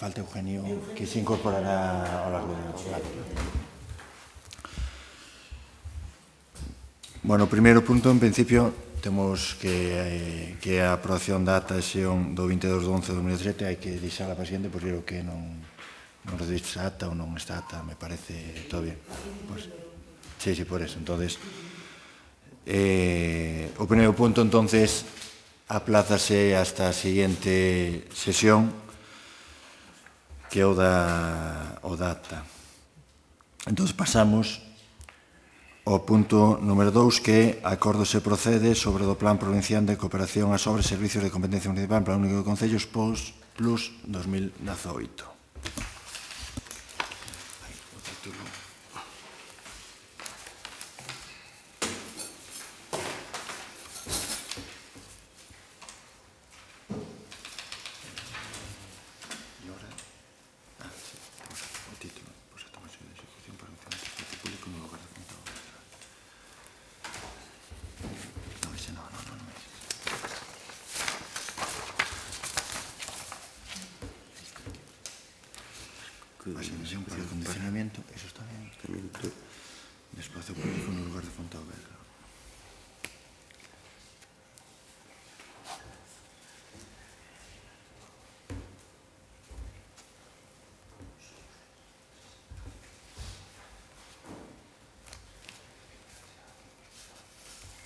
falta Eugenio, que se incorporará ao largo do debate. Bueno, o primeiro punto, en principio, temos que a aprobación da ata de sesión do 22 de 11 de 2017 hai que deixala para siguiente, porque creo que non rediste a ata ou non está ata, me parece todo bien. Pues, sí, por eso. Entonces, o primeiro punto, entonces, aplázase hasta a siguiente sesión, que é o da ata. Entón, pasamos ao punto número 2, que acordo se procede sobre o Plan Provincial de Cooperación ás Obras e Servicios de Competencia Municipal Plan Único de Concellos Plus 2018. Asignación para el condicionamiento, eso está bien. De espacio público en un lugar de Fontauberga.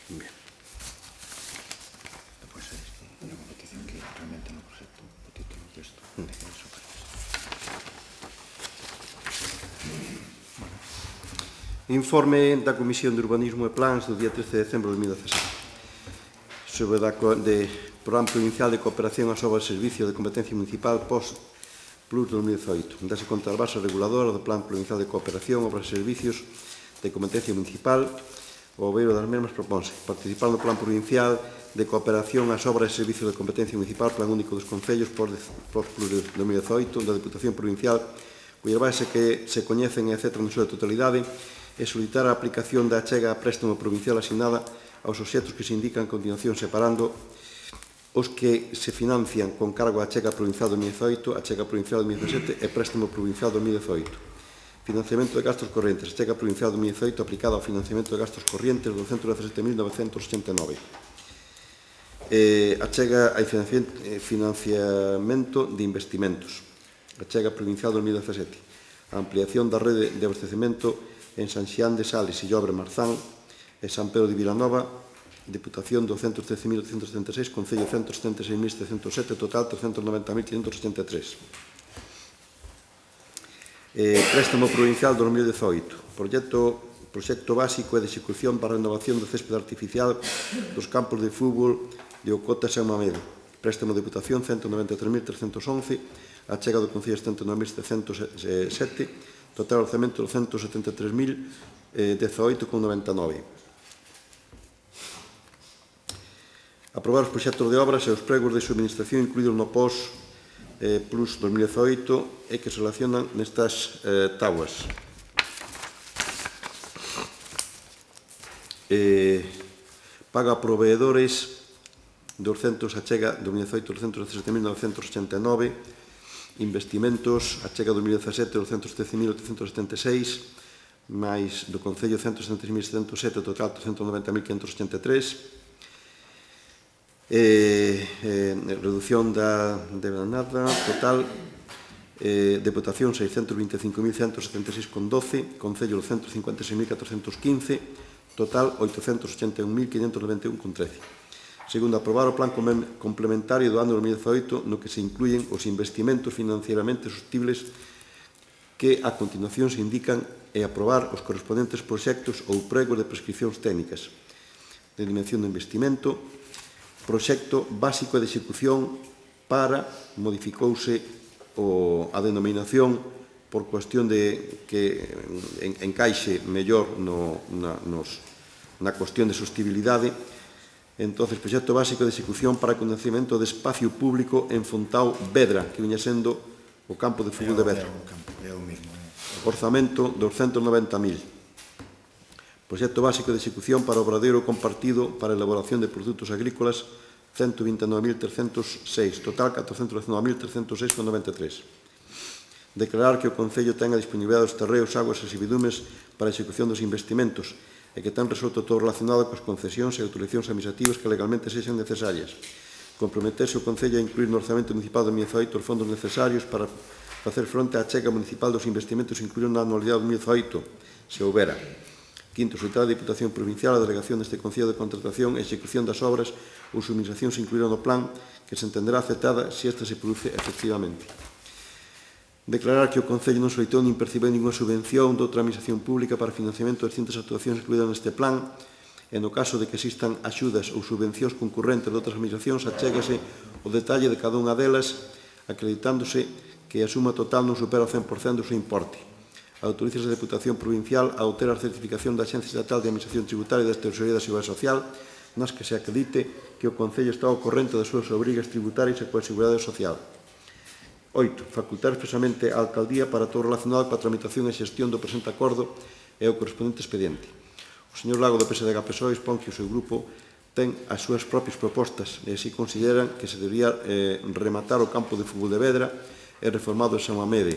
Bien. Después es una competición que realmente no proyecto, o título de esto, eso para eso. Informe da Comisión de Urbanismo e Plans do día 13 de decembro de 2017 sobre o Programa Provincial de Cooperación ás Obras e Servicios de Competencia Municipal Plus 2018. Dase conta da base reguladora do Plan Provincial de Cooperación, Obras e Servicios de Competencia Municipal. O obeiro das mesmas proponse participar no Plan Provincial de Cooperación ás Obras e Servicios de Competencia Municipal Plan Único dos Concellos Plus 2018 da Deputación Provincial, cuya base que se coñecen e aceptan na súa totalidade, e solicitar a aplicación da achega a préstamo provincial asignada aos obxectos que se indican a continuación, separando os que se financian con cargo a achega provincial 2018, achega provincial 2017 e préstamo provincial 2018. Financiamento de gastos correntes, achega provincial 2018 aplicado ao financiamento de gastos corrientes 217.989. Achega a financiamento de investimentos, achega provincial 2017. A ampliación da rede de abastecemento en San Xián de Sales, Illobre, Marzán e San Pedro de Vilanova, Deputación 213.876, Concello 176.707, total 390.583. Préstamo Provincial 2018, proxecto básico e de execución para a renovación do céspede artificial dos campos de fútbol de Ocota e San Mamede. Préstamo Deputación 193.311, achega do Concello 109.707, total orzamento 273.018,99. Aprobar os proxectos de obras e os pregos de subministración incluídos no POS Plus 2018 e que se relacionan nestas tábuas. Paga a proveedores de achega 2018 217.989, investimentos, achega 2017, 213.876, máis do Concello 176.707, total 390.583. Reducción da nada, total, Deputación 625.176,12, Concello 156.415, total 881.591,13. Segundo, aprobar o plan complementario do ano 2018 no que se incluyen os investimentos financieramente sostibles que a continuación se indican e aprobar os correspondentes proxectos ou pregos de prescripcións técnicas de dimensión de investimento, proxecto básico de execución para, modificouse a denominación por cuestión de que encaixe mellor na cuestión de sostibilidade. Entón, proxecto básico de execución para o coñecemento de espacio público en Fontao Vedra, que viña sendo o campo de fútbol de Vedra. Orzamento 290.000. Proxecto básico de execución para o obradoiro compartido para a elaboración de produtos agrícolas 129.306, total 419.306,93. Declarar que o Concello ten a disponibilidade dos terreos, aguas e servidumes para a execución dos investimentos e que ten resolto todo relacionado coas concesións e autorizacións administrativas que legalmente sexan necesarias. Comprometerse o Concello a incluir no Orzamento Municipal de 2018 os fondos necesarios para facer fronte á chega municipal dos investimentos incluídos na anualidade de 2018, se houbera. Quinto, solicitar a Diputación Provincial a delegación deste Concello de contratación e execución das obras ou subministracións incluídas no plan que se entenderá aceptada se esta se produce efectivamente. Declarar que o Concello non solicitou nin percibeu ninguna subvención de outra administración pública para financiamento das distintas actuacións incluídas neste plan e no caso de que existan axudas ou subvencións concurrentes de outras administracións, achégase o detalle de cada unha delas acreditándose que a suma total non supera o 100% do seu importe. Autorízase a Deputación Provincial a obter a certificación da Axencia Estatal de Administración Tributaria e da Tesorería da Seguridade Social nas que se acredite que o Concello está ao corrente das súas obrigas tributarias e coa Seguridade Social. 8. Facultar expresamente a Alcaldía para todo relacionado coa tramitación e xestión do presente acordo e o correspondente expediente. O señor Lago do PSDG-PSOE expón que o seu grupo ten as súas propias propostas e así consideran que se debería rematar o campo de fútbol de Vedra e reformado en San Mamede.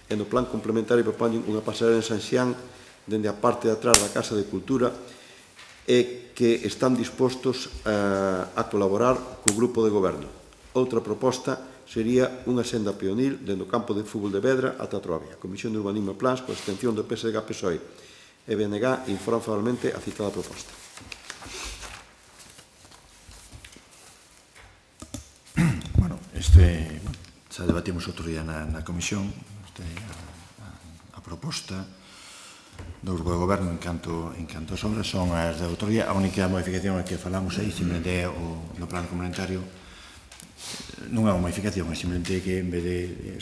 E no plan complementario propoñen unha pasarela en San Xián dende a parte de atrás da Casa de Cultura e que están dispostos a colaborar co grupo de goberno. Outra proposta sería unha senda peonil dende o campo de fútbol de Vedra ata a Trobia. A Comisión de Urbanismo e Plans, coa extensión do PSDG-PSOE e BNG, informan favorablemente a citada proposta. Bueno, xa debatimos outro día na Comisión a proposta do Grupo de Goberno en canto as obras son as de autoría. A única modificación que falamos aí simplemente é no plan complementario. Non é unha modificación, é simplemente que en vez de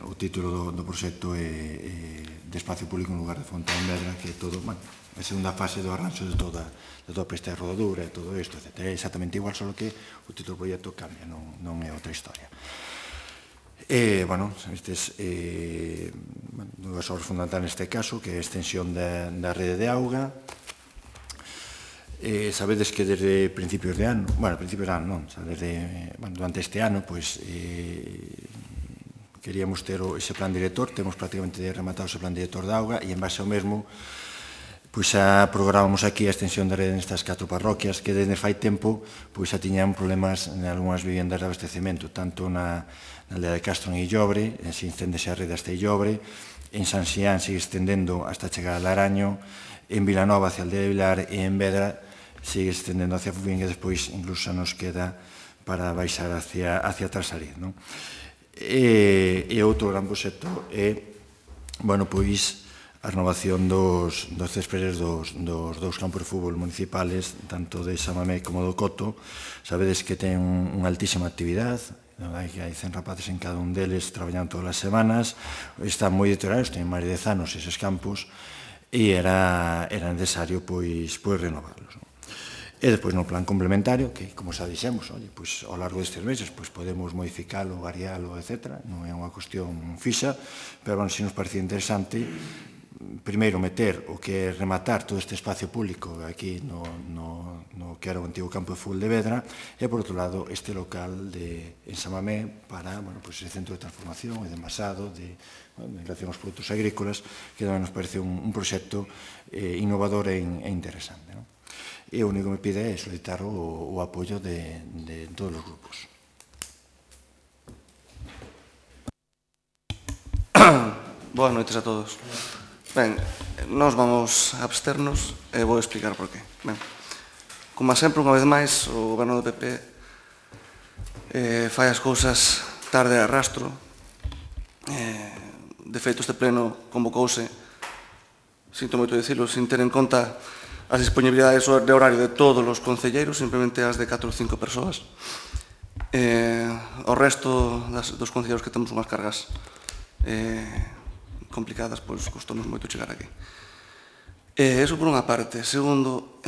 o título do proxecto é de espacio público en lugar de Fonte en Vedra, que é todo, bueno, a segunda fase do arranxo de toda a pista de rodadura e todo isto, etc. É exactamente igual, só que o título do proxecto cambia, non é outra historia. Bueno, estes dúas obras fundamentales neste caso, que é a extensión da rede de auga. Sabedes que desde principios de ano, durante este ano, queríamos ter ese plan director, temos prácticamente rematado ese plan director de auga e en base ao mesmo, xa programamos aquí a extensión da rede nestas 4 parroquias que desde fai tempo xa tiñan problemas en algunhas vivendas de abastecemento, tanto na aldea de Castro en Illobre, se estendese a rede hasta Illobre, en San Xián sigue estendendo hasta chegar a Laraño, en Vilanova hacia a aldea de Vilar e en Vedra sigue estendendo hacia Fubín e despois incluso nos queda para baixar hacia Trasariz. E outro gran proxecto é, a renovación dos céspedes dos dous campos de fútbol municipales, tanto de San Mamé como do Coto. Sabedes que ten unha altísima actividade, hai 100 rapaces en cada un deles traballando todas as semanas, están moi deteriorados, ten máis de 10 anos eses campos, e era necesario renovarlos. E despois no plan complementario, que, como xa dixemos, ao largo destes meses podemos modificalo, varialo, etc. Non é unha cuestión fixa, pero se nos parecía interesante, primeiro meter o que é rematar todo este espacio público aquí no que era o antigo campo de fútbol de Vedra, e por outro lado este local en San Mamé para ese centro de transformación e de envasado en relación aos produtos agrícolas, que tamén nos parece un proxecto innovador e interesante. E o único que me pide é solicitar o apoio de todos os grupos. Boas noites a todos. Ben, nós vamos a absternos e vou explicar por qué. Ben, como sempre, unha vez máis, o goberno do PP fai as cousas tarde a rastro. De feito, este pleno convocouse, sinto moito dicilo, sin ter en conta as disponibilidades de horario de todos os concelleiros, simplemente as de 4 ou 5 persoas. O resto dos concelleiros que temos unhas cargas complicadas, pois custou-nos moito chegar aquí. Eso por unha parte. Segundo,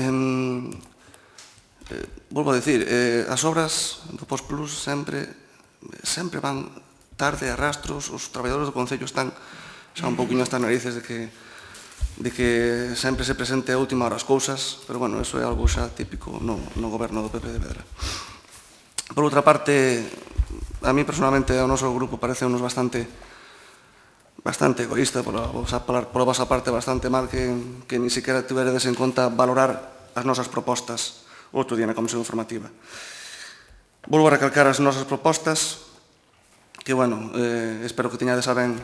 volvo a dicir, as obras do Postplus sempre van tarde a rastros, os traballadores do Concello están xa un pouquinho hasta narices de que sempre se presente a última hora as cousas, pero, bueno, eso é algo xa típico no goberno do PP de Vedra. Por outra parte, a mí personalmente ao noso grupo parece bastante bastante egoísta pola vosa parte, bastante mal que ni siquiera tiveredes en conta valorar as nosas propostas outro día na Comisión Informativa. Volvo a recalcar as nosas propostas, que, bueno, espero que teñades a ben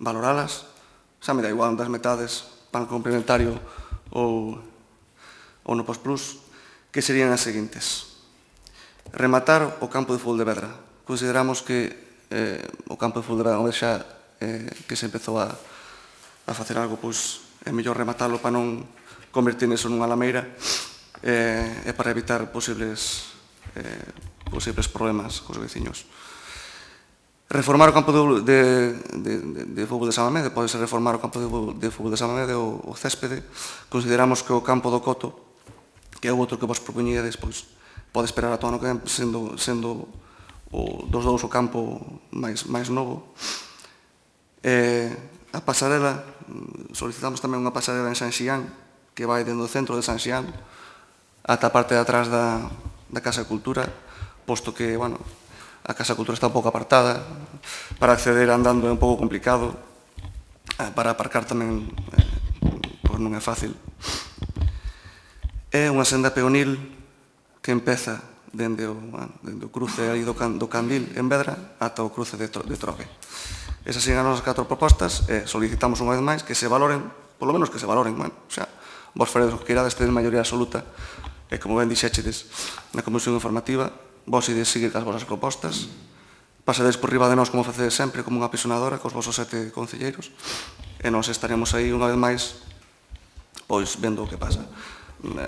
valoralas. Xa me dá igual das metades, pan complementario ou no Postplus, que serían as seguintes. Rematar o campo de fútbol de Vedra. Consideramos que o campo de fútbol de Vedra, unha vez xa que se empezou a facer algo, pois é mellor rematarlo para non convertir neso nunha lameira e para evitar posibles problemas cos veciños. Reformar o campo de fútbol de San Mamede, pode ser reformar o campo de fútbol de San Mamede ou o céspede. Consideramos que o campo do Coto, que é o outro que vos propoñíades, pois pode esperar a todo ano que ven, sendo dos dous o campo máis novo. A pasarela, solicitamos tamén unha pasarela en San Xián, que vai dentro do centro de San Xián ata a parte de atrás da Casa de Cultura, posto que, bueno, a Casa de Cultura está un pouco apartada, para acceder andando é un pouco complicado, para aparcar tamén pois non é fácil. É unha senda peonil que empeza dende o cruce aí do Candil en Vedra ata o cruce de Trogue. Esas son as nosas 4 propostas e solicitamos unha vez máis que se valoren, polo menos que se valoren, bueno, xa, vos faredes o que queirades, tedes maioría absoluta, e como ben dixéchedes na Comisión Informativa, vos ides seguir cas vosas propostas, pasadedes por riba de nós como facedes sempre, como unha pisonadora, cos vosos 7 concelleiros, e nós estaremos aí unha vez máis, pois, vendo o que pasa.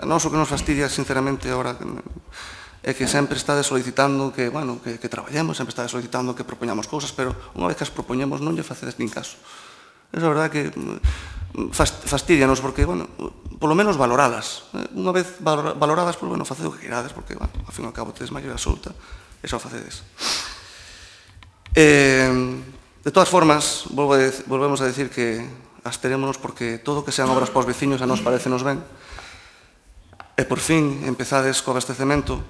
Nós o que nos fastidia, sinceramente, agora, é que sempre estades solicitando que, bueno, que traballemos, sempre estades solicitando que propoñamos cousas, pero unha vez que as propoñemos non lle facedes nin caso. É a verdade que fastidianos, porque, bueno, polo menos valoralas. Unha vez valoradas, pois, bueno, facedes o que queirades, porque, bueno, ao fin e ao cabo, tedes maioría absoluta, e xa o facedes. De todas formas, volvemos a decir que absterémonos porque todo o que sean obras para os veciños a nos parecenos ben, e por fin empezades co abastecemento,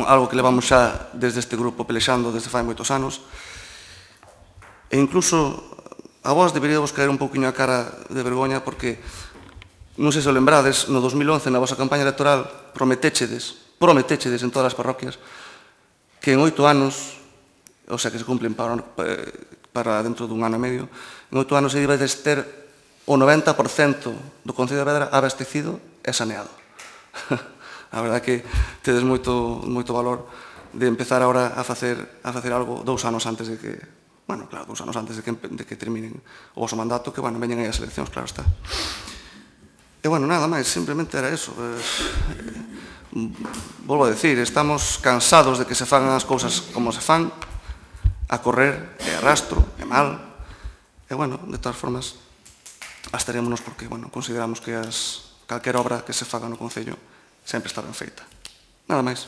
algo que levamos xa desde este grupo pelexando desde fai moitos anos, e incluso a vos deberíamos caer un pouquinho a cara de vergoña porque, non sei se o lembrades, no 2011, na vosa campaña electoral, prometéchedes en todas as parroquias que en 8 anos, o sea, que se cumplen para dentro dun ano e medio, en 8 anos ibades ter o 90% do Concello de Vedra abastecido e saneado. A verdade que tedes moito valor de empezar agora a facer algo 2 anos antes de que, bueno, claro, 2 anos antes de que terminen o vosso mandato, que, bueno, veñen aí as eleccións, claro está. E, bueno, nada máis, simplemente era eso. Volvo a decir, estamos cansados de que se fagan as cousas como se fan, a correr, e arrastro, e mal. E, bueno, de todas formas, absterémonos porque, bueno, consideramos que calquera obra que se faga no Concello sempre está ben feita. Nada máis.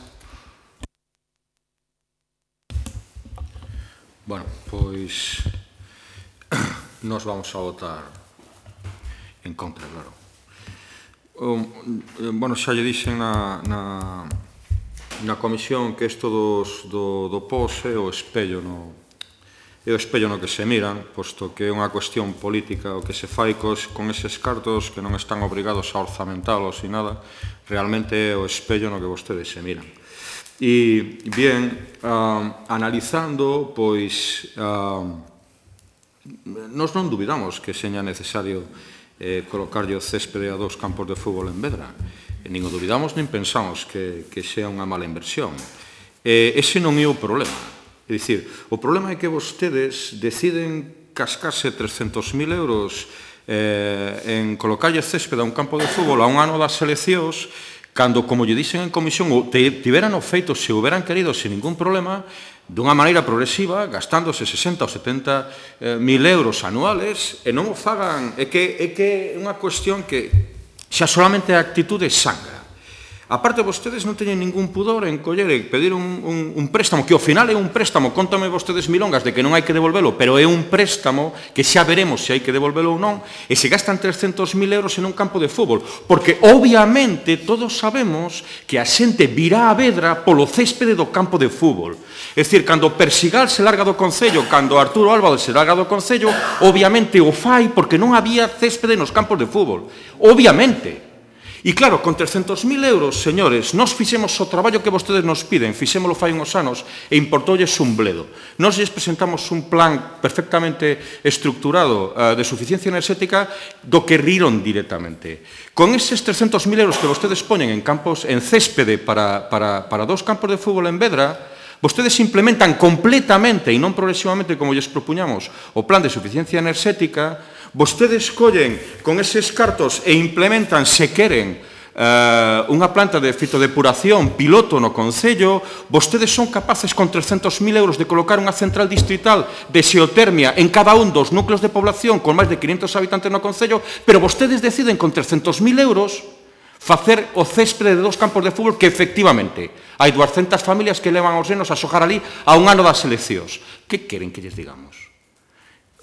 Bueno, pois nos vamos a votar en contra, claro. Bueno, xa lle dixen na comisión que isto do POS é o espello no que se miran, posto que é unha cuestión política o que se fai con eses cartos que non están obrigados a orzamentalos e nada, realmente é o espello no que vostedes se miran. E, bien, analizando, pois, nos non dubidamos que seña necesario colocarlle o céspede a 2 campos de fútbol en Vedra. Nin o dubidamos, nin pensamos que sea unha mala inversión. Ese non é o problema. É dicir, o problema é que vostedes deciden cascarse 300.000 euros en colocarlle céspede a un campo de fútbol a un ano das eleccións, cando, como lle dixen en comisión, tiveran o feito, se houberan querido, sin ningún problema, dunha maneira progresiva, gastándose 60 ou 70.000 euros anuales, e non o fagan. É que é unha cuestión que xa solamente a actitude sangra. Aparte, vostedes non teñen ningún pudor en coller e pedir un préstamo, que ao final é un préstamo, contame vostedes milongas de que non hai que devolvelo, pero é un préstamo que xa veremos se hai que devolvelo ou non, e se gastan 300.000 euros en un campo de fútbol, porque obviamente todos sabemos que a xente virá a Vedra polo céspede do campo de fútbol. É dicir, cando Persigal se larga do Concello, cando Arturo Álvaro se larga do Concello, obviamente o fai porque non había céspede nos campos de fútbol. Obviamente. E claro, con 300.000 euros, señores, nós fixemos o traballo que vostedes nos piden, fixémolo fai uns anos e importoulles un bledo. Nós lles presentamos un plan perfectamente estructurado de suficiencia enerxética do que riron directamente. Con eses 300.000 euros que vostedes poñen en campos, en céspede para 2 campos de fútbol en Vedra, vostedes implementan completamente e non progresivamente como lles propuñamos o plan de suficiencia enerxética. Vostedes collen con eses cartos e implementan, se queren, unha planta de fitodepuración piloto no Concello. Vostedes son capaces con 300.000 euros de colocar unha central distrital de xeotermia en cada un dos núcleos de población con máis de 500 habitantes no Concello, pero vostedes deciden con 300.000 euros facer o céspede de 2 campos de fútbol que efectivamente hai 200 familias que levan os nenos a xogar ali a un ano das eleccións. Que queren que lles digamos?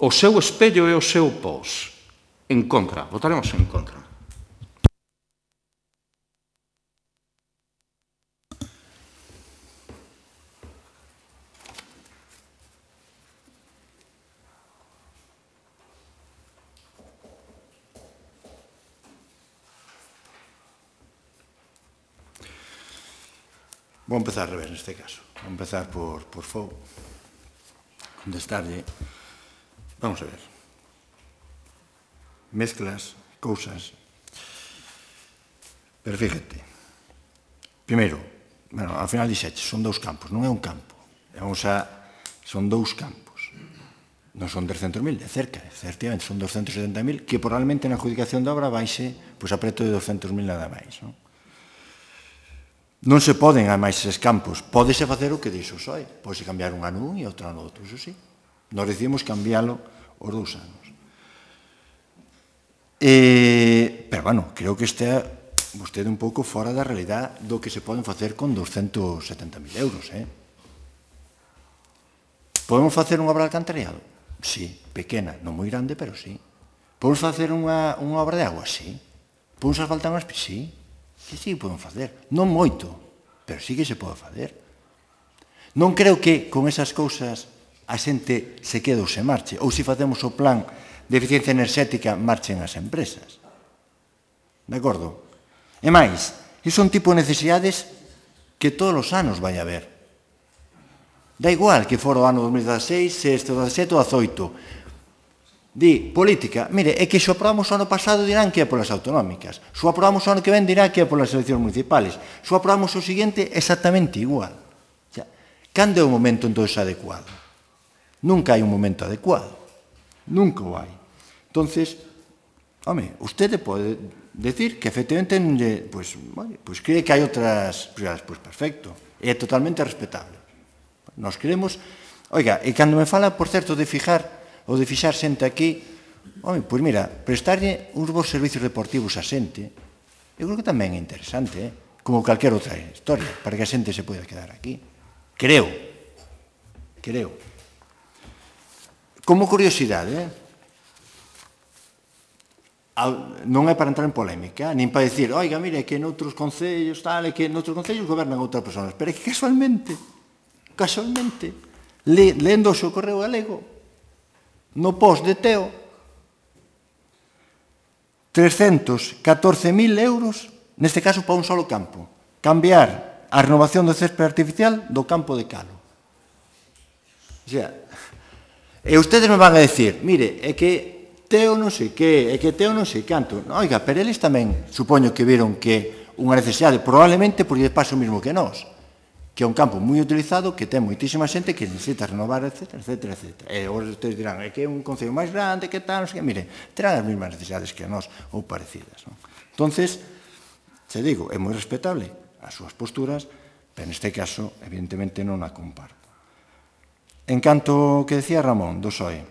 O seu espello é o seu pós. En contra. Votaremos en contra. Vou empezar al revés neste caso. Vou empezar por Fou. Contestarlle. Vamos a ver. Mezclas cousas. Pero fíjate. Primeiro, bueno, ao final dixeche, son 2 campos, non é un campo. Son 2 campos. Non son 300.000, de cerca, efectivamente, son 270.000, que probablemente na adjudicación da obra baixe a preto de 200.000 nada máis, non? Non se poden, ademais, eses campos. Pódese facer o que dixo o PSOE. Pódese cambiar un ano un e outro ano outro, iso sí. Nós decidimos cambiálo os 2 anos. Pero, bueno, creo que está vostede un pouco fora da realidade do que se poden facer con 270.000 euros, Podemos facer unha obra de alcantarillado? Sí, pequena, non moi grande, pero sí. Podemos facer unha obra de agua? Sí. Podemos asfaltar unhas pistas? Sí. Que sí podemos facer. Non moito, pero sí que se pode facer. Non creo que con esas cousas a xente se quede ou se marche, ou se facemos o plan de eficiencia enerxética marchen as empresas. De acordo? E máis, iso é un tipo de necesidades que todos os anos vai haber. Da igual que fora o ano 2016, 2017 ou 2018. Di, política, mire, é que se aprobamos o ano pasado dirán que é polas autonómicas, se o aprobamos o ano que ven dirán que é polas eleccións municipales, se o aprobamos o seguinte exactamente igual. Cando é o momento entonces adecuado? Nunca hai un momento adecuado, nunca o hai. Entonces, home, usted pode decir que efectivamente pues cree que hai outras prioridades, pues perfecto, é totalmente respetable. Nos queremos, oiga, e cando me fala, por certo, de fixar xente aquí, home, pois mira, prestarlle uns bons servicios deportivos a xente, eu creo que tamén é interesante, como calquer outra historia, para que a xente se poida quedar aquí. Creo. Como curiosidade, non é para entrar en polémica, nin para dicir, oiga, mire, que noutros concellos, tal, que noutros concellos gobernan outras persoas, pero é que casualmente, lendo o seu correo galego, no post de Teo, 314.000 euros, neste caso para un solo campo, cambiar a renovación do céspede artificial do campo de Calo. O sea, e ustedes me van a decir, mire, é que Teo non sei que, é que Teo non sei canto. Oiga, pero eles tamén supoño que viron que unha necesidade, probablemente porque pasa o mesmo que nós, que é un campo moi utilizado, que ten moitísima xente que necesita renovar, etc. E ustedes dirán, é que é un concello máis grande, que tal, non sei que, mire, terán as mesmas necesidades que nós, ou parecidas. Entonces, se digo, é moi respetable as súas posturas, pero neste caso, evidentemente, non a comparto. En canto que decía Ramón, do PSOE,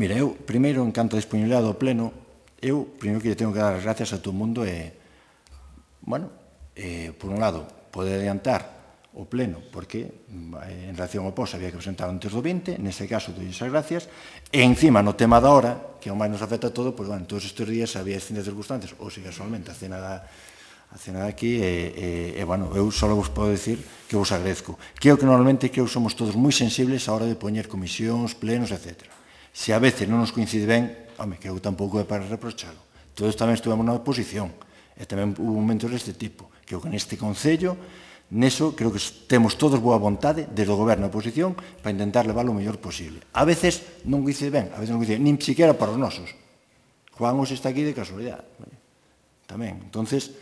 mire, eu, primeiro, en canto a disponibilidade do pleno, eu, primeiro que lle tengo que dar as gracias a todo o mundo e, bueno, por un lado, pode adiantar o pleno, porque en relación ao POS había que presentar antes do 20, nese caso, doy esas gracias, e encima, no tema da hora, que ao máis nos afecta todo, pois, bueno, todos estes días había distintas circunstancias, ou se casualmente a cena de aquí, bueno, eu só vos podo dicir que vos agradezco. Creo que normalmente somos todos moi sensibles a hora de poñer comisións, plenos, etc. Se a veces non nos coincide ben, home, creo que tampouco é para reprochalo. Todos tamén estuvemos na oposición, e tamén hubo momentos deste tipo. Creo que neste Concello, neso, creo que temos todos boa vontade, desde o goberno e a oposición, para intentar leválo o mellor posible. A veces non coincide ben, a veces non coincide, nin siquiera para os nosos. Juan Os está aquí de casualidade. Tamén, entonces,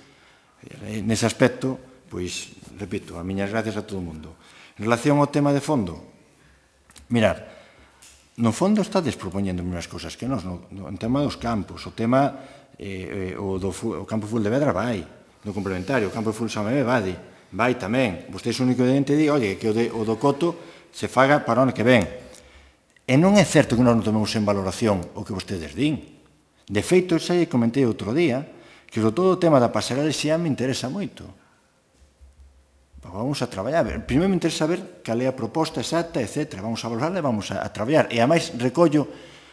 nese aspecto, pois, repito, as miñas gracias a todo o mundo. En relación ao tema de fondo, mirar, no fondo estades propoñendo unhas cousas que nos, no tema dos campos, o tema, o campo full de Vedra vai, no complementario, o campo full San Mamé vai tamén. Vostedes o único dente di, oye, que o do Coto se faga para o ano que ven. E non é certo que nós non tomemos en valoración o que vostedes din. De feito, xa lle comentei outro día, que sobre todo o tema da pasarela xa me interesa moito. Vamos a traballar. Primeiro me interesa saber cal é a proposta exacta, etc. Vamos a valorarla e vamos a traballar. E, ademais, recollo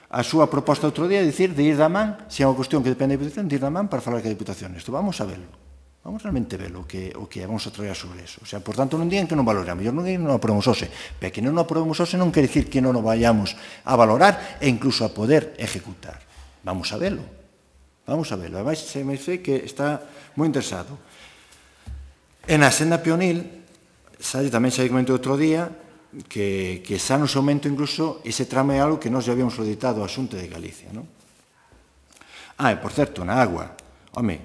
a súa proposta outro día, dicir, de ir da man, se é unha cuestión que depende da Diputación, de ir da man para falar que a Diputación. Isto vamos a verlo. Vamos realmente ver o que é, vamos a traballar sobre eso. O sea, por tanto, non digan que non valoramos, mellor non digan que non aprobamos hoxe, pero que non aprobamos hoxe non quere dicir que non o vayamos a valorar e incluso a poder ejecutar. Vamos a verlo. Vamos a verlo. Ademais, se me dice que está moi interesado. E na senda peonil, tamén xa comentou outro día, que xa nos aumento incluso ese tramo é algo que nós já habíamos solicitado a Xunta de Galicia, non? E, por certo, na agua, home,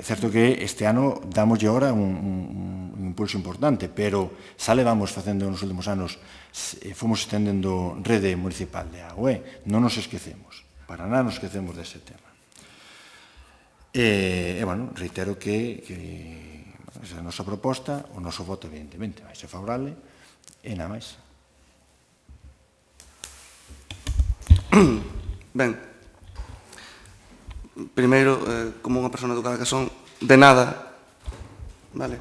certo que este ano damoslle ahora un impulso importante, pero xa levamos facendo nos últimos anos, fomos estendendo rede municipal de agua, non nos esquecemos, para nada nos esquecemos dese tema. E, bueno, reitero que esa é a nosa proposta, o noso voto, evidentemente, vai ser favorable, e nada máis. Ben, primeiro, como unha persona educada que son, de nada, vale?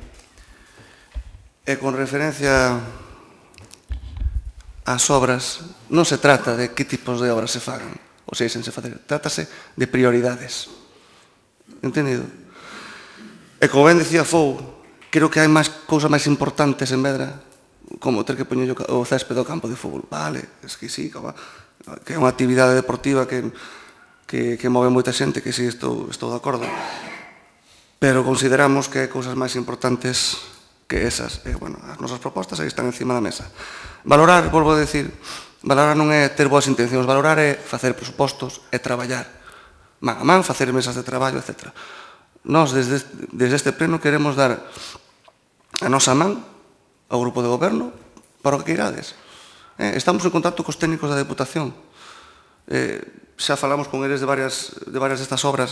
E con referencia ás obras, non se trata de que tipos de obras se fagan, ou se deixen se facer, trátase de prioridades. Entendido? E como ben dicía Fou, creo que hai máis cousas máis importantes en Vedra, como ter que poñer o césped do campo de fútbol. Vale, es que sí, que é unha actividade deportiva que move moita xente, que sí, estou de acordo. Pero consideramos que hai cousas máis importantes que esas. E, bueno, as nosas propostas aí están encima da mesa. Valorar, volvo a decir, valorar non é ter boas intencións, valorar é facer presupostos e traballar. Man a man, facer mesas de traballo, etc. Nós, desde este pleno, queremos dar a nosa man ao grupo de goberno para o que queirades. Estamos en contacto cos técnicos da Deputación. Xa falamos con eles de varias destas obras.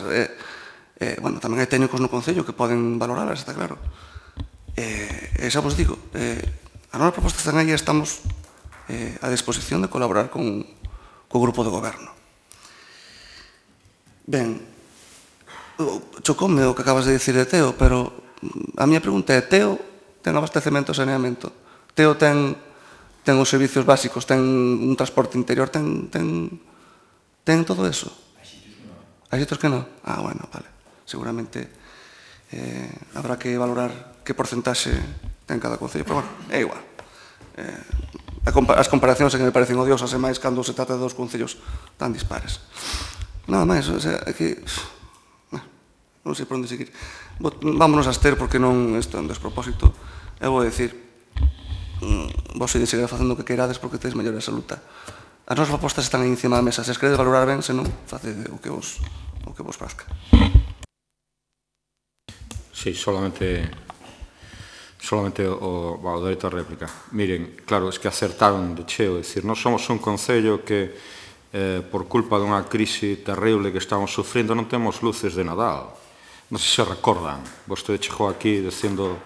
Bueno, tamén hai técnicos no Concello que poden valorarlas, está claro. E xa vos digo, a nosa proposta están aí e estamos a disposición de colaborar co grupo de goberno. Ben, chocoume o que acabas de dicir de Teo, pero a miña pregunta é, Teo ten abastecemento e saneamento? Teo ten os servicios básicos, ten un transporte interior, ten todo eso? Hai sitios que non? Bueno, vale. Seguramente habrá que valorar que porcentaxe ten cada concello, pero bueno, é igual. As comparacións que me parecen odiosas e máis cando se trata de dos concellos tan dispares. Nada máis, o sea, é que non sei por onde seguir. Vámonos a abster porque non isto é un despropósito. Eu vou dicir, vos se seguir facendo o que queirades porque tedes mellor absoluta. As nosas propostas están aí encima da mesa. Se as queredes valorar ben, senón, facede o que vos prazca. Sí, solamente o dereito a réplica. Miren, claro, es que acertaron de cheo. É dicir, nós somos un concello que, por culpa dunha crise terrible que estamos sufrindo, non temos luces de Nadal. Non sei se recordan. Vostede chegou aquí dicindo,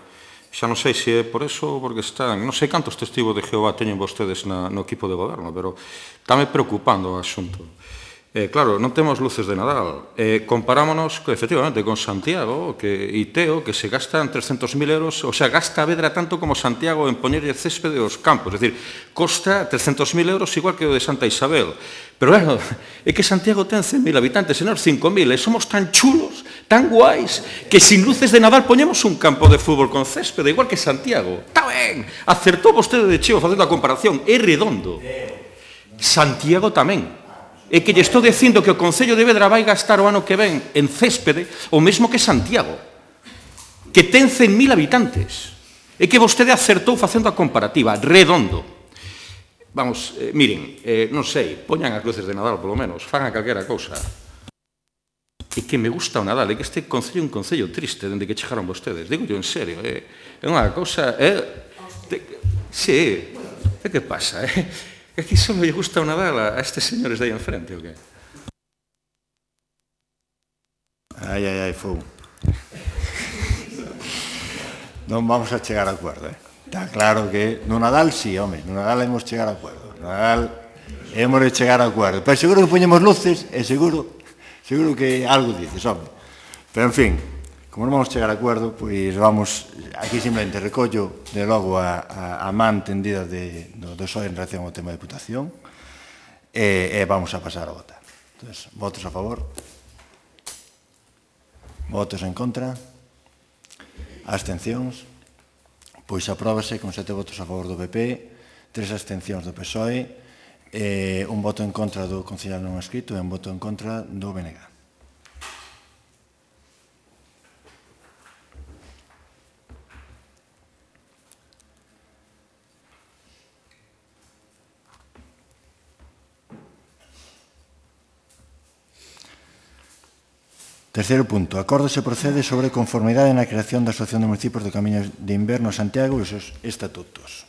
xa non sei se é por eso ou porque están, non sei cantos testigos de Jehová teñen vostedes no equipo de goberno, pero estáme preocupando o asunto. Claro, non temos luces de Nadal. Comparámonos, efectivamente, con Santiago e Teo, que se gastan 300.000 euros, o sea, gasta a Vedra tanto como Santiago en poñerlle céspede aos campos. É dicir, costa 300.000 euros igual que o de Santa Isabel. Pero, bueno, é que Santiago ten 100.000 habitantes, e nós 5.000, e somos tan chulos, tan guais, que sin luces de Nadal poñemos un campo de fútbol con céspede, igual que Santiago. Está ben, acertou vostede de cheo facendo a comparación, é redondo. Santiago tamén. É que lle estou dicindo que o Concello de Vedra vai gastar o ano que ven en céspede o mesmo que Santiago, que ten 100.000 habitantes. É que vostede acertou facendo a comparativa, redondo. Vamos, miren, non sei, poñan as luces de Nadal, polo menos, fagan calquera cousa. É que me gusta o Nadal, é que este Concello é un Concello triste dende que chegaron vostedes, digo yo en serio, é unha cousa... Sí, é que pasa, É que só lle gusta o Nadal a estes señores de aí enfrente, ou que? Ai, fou. Non vamos a chegar a acordo, Está claro que no Nadal sí, home, no Nadal hemos chegar a acordo. No Nadal hemos de chegar a acordo. Pero seguro que poñemos luces e seguro que algo dices, home. Pero, en fin, como non vamos chegar a acordo, pois vamos, aquí simplemente recollo de logo a man tendida do PSOE en relación ao tema de Deputación e vamos a pasar a votar. Entón, votos a favor, votos en contra, abstencións, pois apróbase con 7 votos a favor do PP, 3 abstencións do PSOE, un voto en contra do conciliar non escrito e un voto en contra do BNG. Terceiro punto. Acordo se procede sobre conformidade na creación da Asociación de Municipios do Camiño de Inverno a Santiago e os seus estatutos.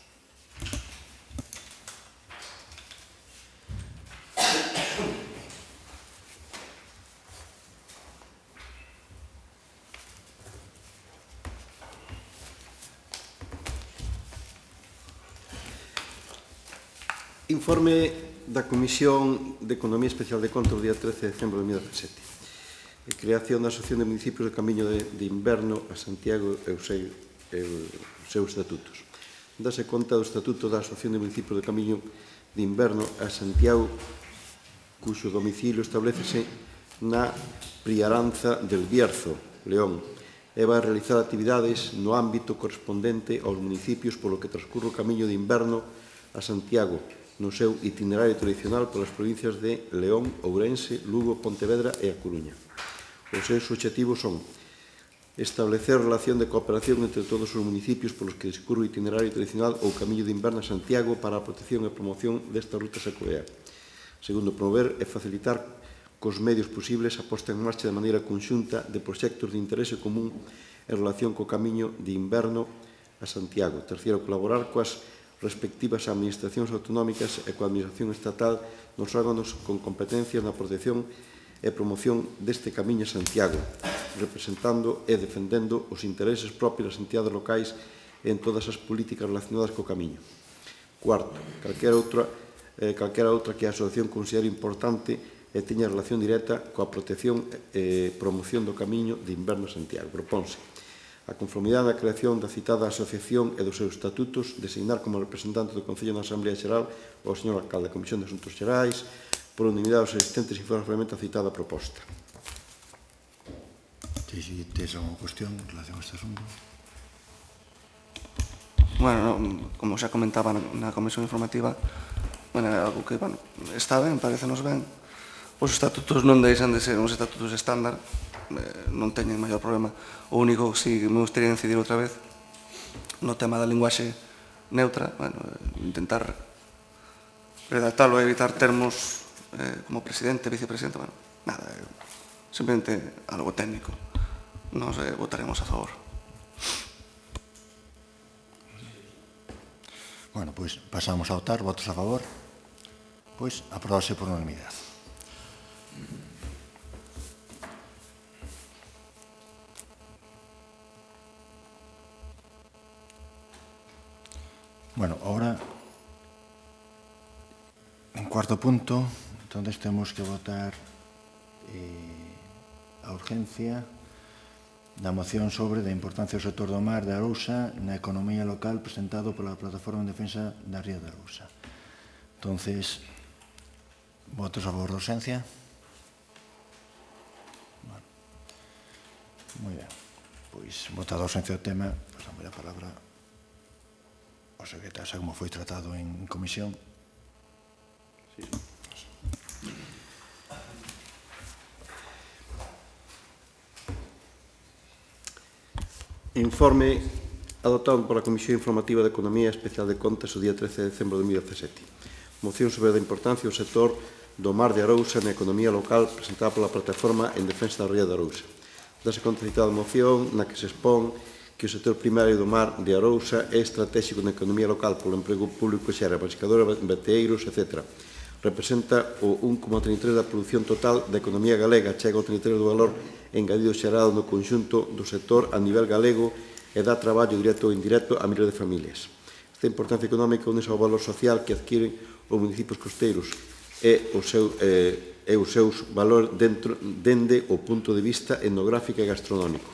Informe da Comisión de Economía Especial de Contas do día 13 de decembro de 2017. Creación da Asociación de Municipios do Camiño de Inverno a Santiago e os seus estatutos. Dase conta do Estatuto da Asociación de Municipios do Camiño de Inverno a Santiago, cuxo domicilio establecese na Priaranza del Bierzo, León, e vai realizar actividades no ámbito correspondente aos municipios polo que transcurre o Camiño de Inverno a Santiago, no seu itinerario tradicional polas provincias de León, Ourense, Lugo, Pontevedra e A Coruña. Os seus obxectivos son establecer relación de cooperación entre todos os municipios polos que discurre o itinerario tradicional ou Camiño de Inverno a Santiago para a protección e promoción desta ruta secuea. Segundo, promover e facilitar cos medios posibles a posta en marcha de maneira conxunta de proxectos de interese común en relación co Camiño de Inverno a Santiago. Terceiro, colaborar coas respectivas administracións autonómicas e coa administración estatal nos órganos con competencias na protección e promoción deste Camiño a Santiago, representando e defendendo os intereses propios das entidades locais en todas as políticas relacionadas co Camiño. Cuarto, calquera outra que a asociación considere importante e teña relación directa coa protección e promoción do Camiño de Inverno a Santiago. Proponse a conformidade da creación da citada asociación e dos seus estatutos, designar como representante do Concello na Asamblea Xeral o señor alcalde da Comisión de Asuntos Xerais, por unanimidade os asistentes informes realmente a citada proposta. Si tes alguna cuestión en relación a este asunto? Bueno, como xa comentaba na comisión informativa, bueno, é algo que, bueno, está ben, parecenos ben. Os estatutos non deixan de ser uns estatutos estándar, non teñen maior problema. O único, si me gustaría incidir outra vez, no tema da linguaxe neutra, bueno, intentar redactarlo e evitar termos como presidente, vicepresidente, bueno, nada, simplemente algo técnico. Nos votaremos a favor. Bueno, pois pasamos a votar. Votos a favor? Pois aprobase por unanimidade. Bueno, ahora, en cuarto punto, Entonces temos que votar a urgencia da moción sobre a importancia do sector do mar de Arousa na economía local presentado pola Plataforma en Defensa da Ría de Arousa. Entonces, votos a favor da urgencia? Bueno. Moi ben. Pois, votado a urgencia do tema, pasamos a palabra ao secretario, xa como foi tratado en comisión. Sí. Informe adoptado pola Comisión Informativa de Economía Especial de Contas o día 13 de decembro de 2017. Moción sobre a importancia do sector do mar de Arousa na economía local presentada pola Plataforma en Defensa da Ría de Arousa. Dase conta citada moción na que se expón que o sector primario do mar de Arousa é estratégico na economía local polo emprego público que xera pescadores, bateeiros, etc. Representa o 1,33% da produción total da economía galega, chega ao 33% do valor engadido xerado no conxunto do sector a nivel galego e dá traballo directo ou indirecto a miles de familias. Esta importancia económica une ao valor social que adquiren os municipios costeiros e os seus valores dende o punto de vista etnográfico e gastronómico.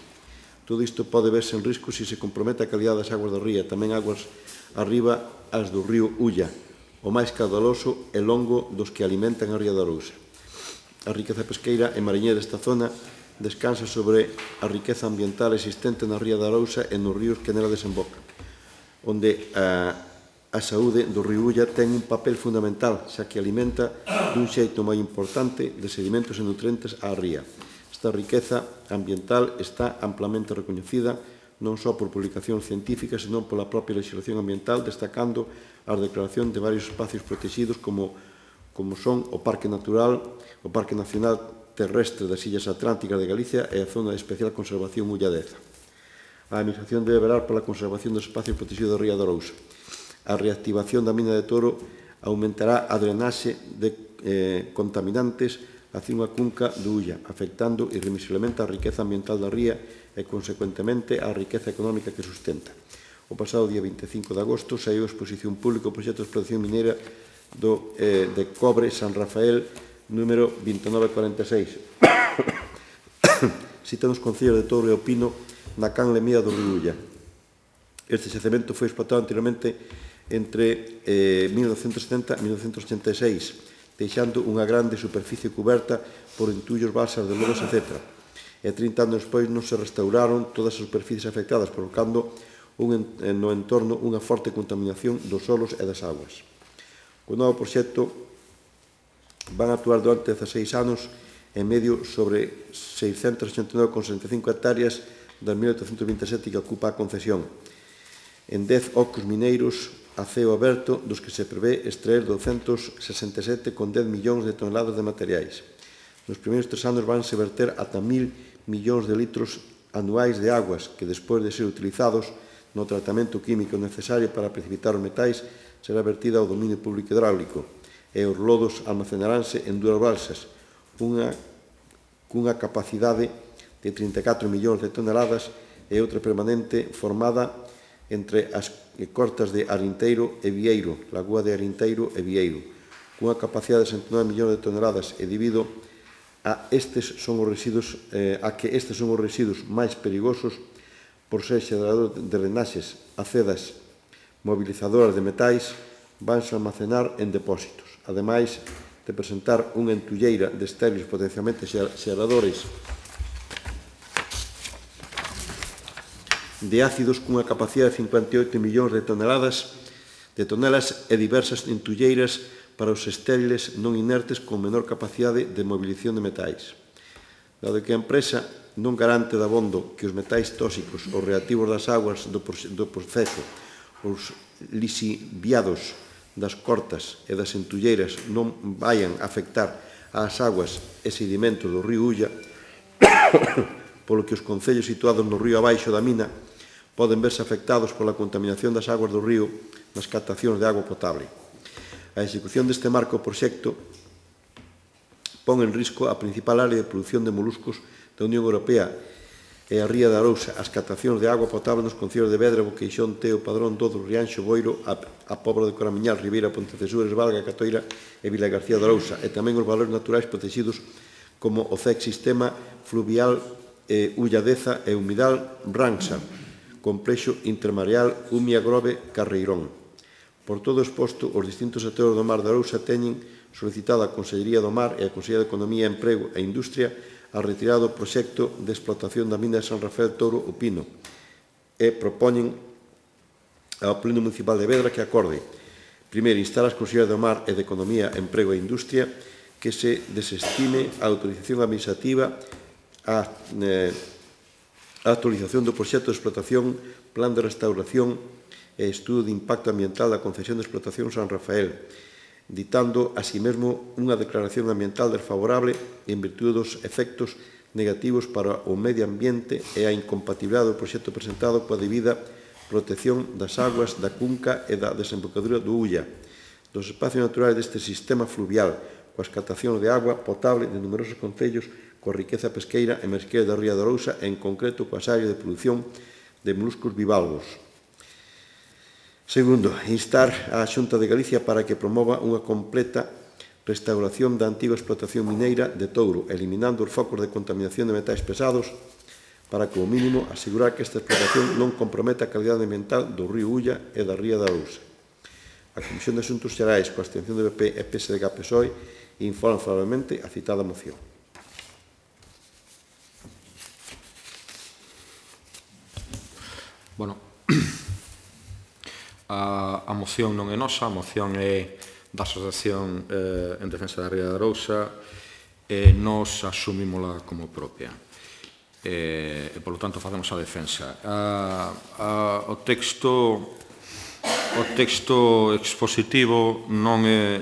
Todo isto pode verse en risco se se compromete a calidade das aguas da ría, tamén aguas arriba as do río Ulla, o máis caudaloso e longo dos que alimentan a ría de Arousa. A riqueza pesqueira e mariñeira desta zona descansa sobre a riqueza ambiental existente na ría de Arousa e nos ríos que nela desembocan, onde a saúde do río Ulla ten un papel fundamental, xa que alimenta dun xeito moi importante de sedimentos e nutrientes á ría. Esta riqueza ambiental está amplamente recoñecida non só por publicacións científicas, senón pola propia legislación ambiental, destacando a declaración de varios espacios protegidos como son o Parque Nacional Terrestre das Illas Atlánticas de Galicia e a Zona de Especial Conservación Ulla Deza. A Administración debe velar pola conservación dos espacios protegidos da ría de Arousa. A reactivación da mina de Toro aumentará a drenaxe de contaminantes hacia unha cunca do Ulla, afectando irremisiblemente a riqueza ambiental da ría e, consecuentemente, a riqueza económica que sustenta. O pasado día 25 de agosto saiu a exposición pública o proxecto de explotación mineira de cobre San Rafael número 2946. Sita nos concellos de Touro e Opino na canle mía do río Ulla. Este xacemento foi explotado anteriormente entre 1970 e 1986, deixando unha grande superficie cuberta por entullos, balsas de lodos, etc. E 30 anos despois non se restauraron todas as superficies afectadas, provocando no entorno unha forte contaminación dos solos e das aguas. O novo proxecto van a actuar durante 16 anos en medio sobre 689,65 hectáreas das 1827 que ocupa a concesión, en 10 ocos mineiros a ceo aberto, dos que se prevé extraer 267,10 millóns de toneladas de materiais. Nos primeiros 3 anos vanse verter ata 1.000 millóns de litros anuais de aguas que, despois de ser utilizados no tratamento químico necesario para precipitar os metais, será vertida ao dominio público hidráulico e os lodos almacenaránse en 2 balsas, cunha capacidade de 34 millóns de toneladas e outra permanente formada entre as cortas de Arinteiro e Vieiro, Lagoa de Arinteiro e Vieiro, cunha capacidade de 69 millóns de toneladas e debido a que estes son os residuos máis perigosos por ser xerador de drenaxes, acedas, mobilizadoras de metais, vanse almacenar en depósitos. Ademais de presentar unha entulleira de estériles potencialmente xeradores de ácidos cunha capacidade de 58 millóns de tonelas e diversas entulleiras para os estériles non inertes con menor capacidade de movilización de metais. Dado que a empresa non garante dabondo que os metais tóxicos ou reactivos das aguas do proceso, os lisiviados das cortas e das entulleiras non vayan a afectar ás aguas e sedimentos do río Ulla, polo que os concellos situados no río abaixo da mina poden verse afectados pola contaminación das aguas do río nas captacións de agua potable. A execución deste marco proxecto pon en risco a principal área de produción de moluscos da Unión Europea e a Ría de Arousa, as captacións de agua potable nos concellos de Vedra, Boqueixón, Teo, Padrón, Dodo, Rianxo, Boiro, a Pobra de Coramiñal, Ribeira, Pontecesures, Valga, Catoira e Vila García de Arousa, e tamén os valores naturais protegidos como o CEC Sistema Fluvial Ulladeza e Humidal Branxa, Complexo Intermareal Umia Grove Carreirón. Por todo exposto, os distintos sectores do mar de Arousa teñen solicitado á Consellería do Mar e á Consellería de Economía, Emprego e Industria a retirada do proxecto de explotación da mina de San Rafael Touro o Pino e propoñen ao Pleno Municipal de Vedra que acorde primeiro, instar as Consellerías do Mar e de Economía, Emprego e Industria que se desestime a autorización administrativa a actualización do proxecto de explotación, plan de restauración e estudo de impacto ambiental da concesión de explotación San Rafael, ditando así mesmo unha declaración ambiental desfavorable en virtude dos efectos negativos para o medio ambiente e a incompatibilidade do proxecto presentado coa debida protección das aguas da cunca e da desembocadura do Ulla, dos espacios naturais deste sistema fluvial, coa captación de agua potable de numerosos concellos coa riqueza pesqueira e marisqueira da Ría de Arousa e, en concreto, coas áreas de produción de moluscos bivalvos. Segundo, instar á Xunta de Galicia para que promova unha completa restauración da antiga explotación mineira de Touro, eliminando os focos de contaminación de metais pesados para, como mínimo, asegurar que esta explotación non comprometa a calidade ambiental do río Ulla e da Ría de Arousa. A Comisión de Asuntos Xerais, coa abstención do PP e PSDG-PSOE, informa favorablemente a citada moción. Bueno, a moción non é nosa, a moción é da Asociación en Defensa da Ría de Arousa e nos asumímola como propia. E, polo tanto, facemos a defensa. O texto expositivo non é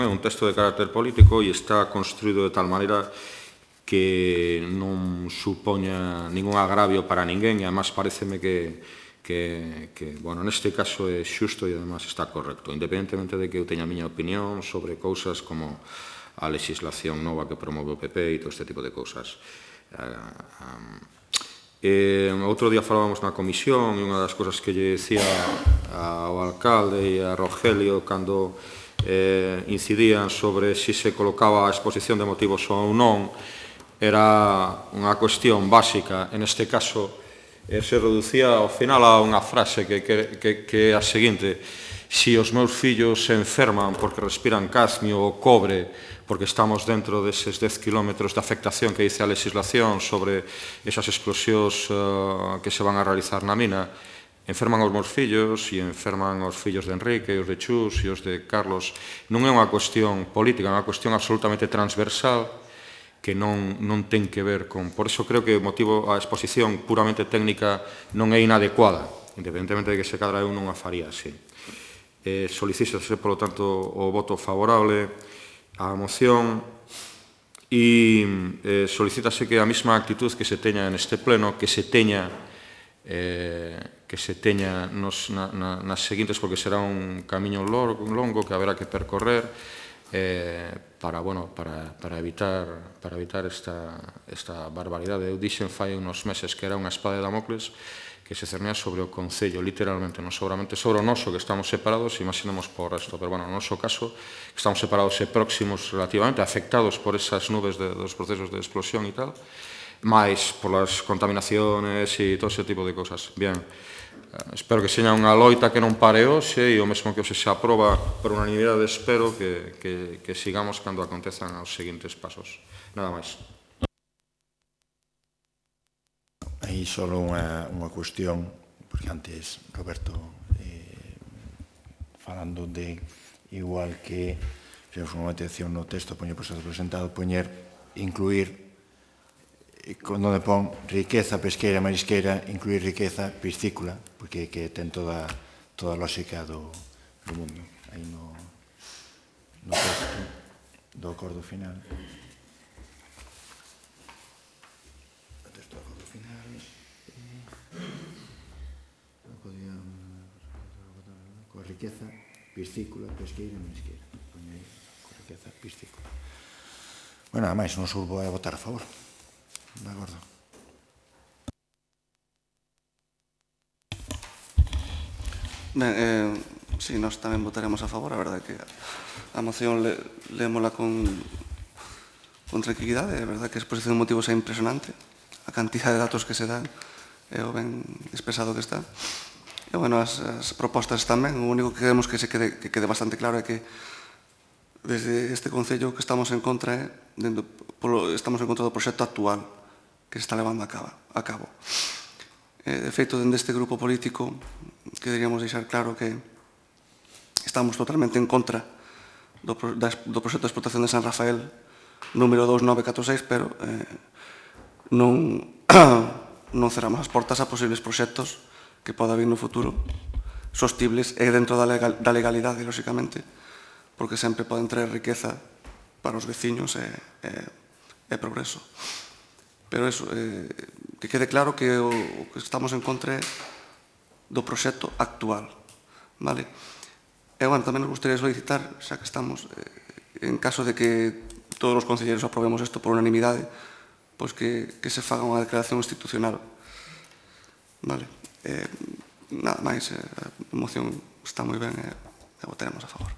un texto de carácter político e está construído de tal maneira que non supoña ningún agravio para ninguén e, además, pareceme que bueno, neste caso é xusto e, además, está correcto, independentemente de que eu teña a miña opinión sobre cousas como a legislación nova que promove o PP e todo este tipo de cousas. Outro día falábamos na comisión e unha das cousas que lle decía ao alcalde e a Rogelio cando incidían sobre se se colocaba a exposición de motivos ou non era unha cuestión básica, en este caso se reducía ao final a unha frase que é a seguinte: si os meus fillos se enferman porque respiran cadmio ou cobre porque estamos dentro deses 10 kilómetros de afectación que dice a legislación sobre esas explosións que se van a realizar na mina, enferman os meus fillos e enferman os fillos de Enrique e os de Chus e os de Carlos. Non é unha cuestión política, é unha cuestión absolutamente transversal que non ten que ver con... Por iso creo que o motivo, a exposición puramente técnica non é inadecuada, independentemente de que se cadra eu non a faría así. Solicítase, polo tanto, o voto favorable á moción e solicítase que a mesma actitud que se teña neste pleno, que se teña nas seguintes, porque será un camiño longo que haberá que percorrer para evitar esta barbaridade. Eu dixen fai uns meses que era unha espada de Damocles que se cernía sobre o Concello, literalmente, non seguramente sobre o noso, que estamos separados, imaginemos por resto, pero, bueno, no noso caso, estamos separados e próximos relativamente, afectados por esas nubes dos procesos de explosión e tal, máis por las contaminaciones e todo ese tipo de cosas. Bien, espero que seña unha loita que non pare hoxe e o mesmo que hoxe se aproba por unanimidade, espero que sigamos cando acontezan os seguintes pasos. Nada máis. Aí só unha cuestión, porque antes Roberto falando de igual que fixemos unha atención no texto, poñer proceso presentado, incluir onde pon riqueza pesqueira, marisqueira, incluir riqueza piscícola, porque ten toda a lógica do mundo. Aí no texto do acordo final. O texto do acordo final. Coa riqueza piscícola, pesqueira, marisqueira. Poñei coa riqueza piscícola. Bueno, nada máis, non surbo a votar a favor. De acordo. Ben, sí, nós tamén votaremos a favor. A verdade é que a moción leémola con tranquilidade. A verdade é que a exposición de motivos é impresionante. A cantidad de datos que se dan é o ben expresado que está. E, bueno, as propostas tamén. O único que queremos que quede bastante claro é que desde este Concello que estamos en contra estamos en contra do proxecto actual que se está levando a cabo. De feito, dende este grupo político queríamos deixar claro que estamos totalmente en contra do proxecto de explotación de San Rafael número 2946, pero non cerramos as portas a posibles proxectos que poda vir no futuro sostibles e dentro da legalidade, lóxicamente, porque sempre poden traer riqueza para os veciños e progreso. Pero eso, que quede claro que o que estamos en contra é do proxecto actual. Vale? E, bueno, tamén nos gustaría solicitar, xa que estamos, en caso de que todos os concelleiros aprobemos isto por unanimidade, pois que se faga unha declaración institucional. Vale? Nada máis, a moción está moi ben e votaremos a favor.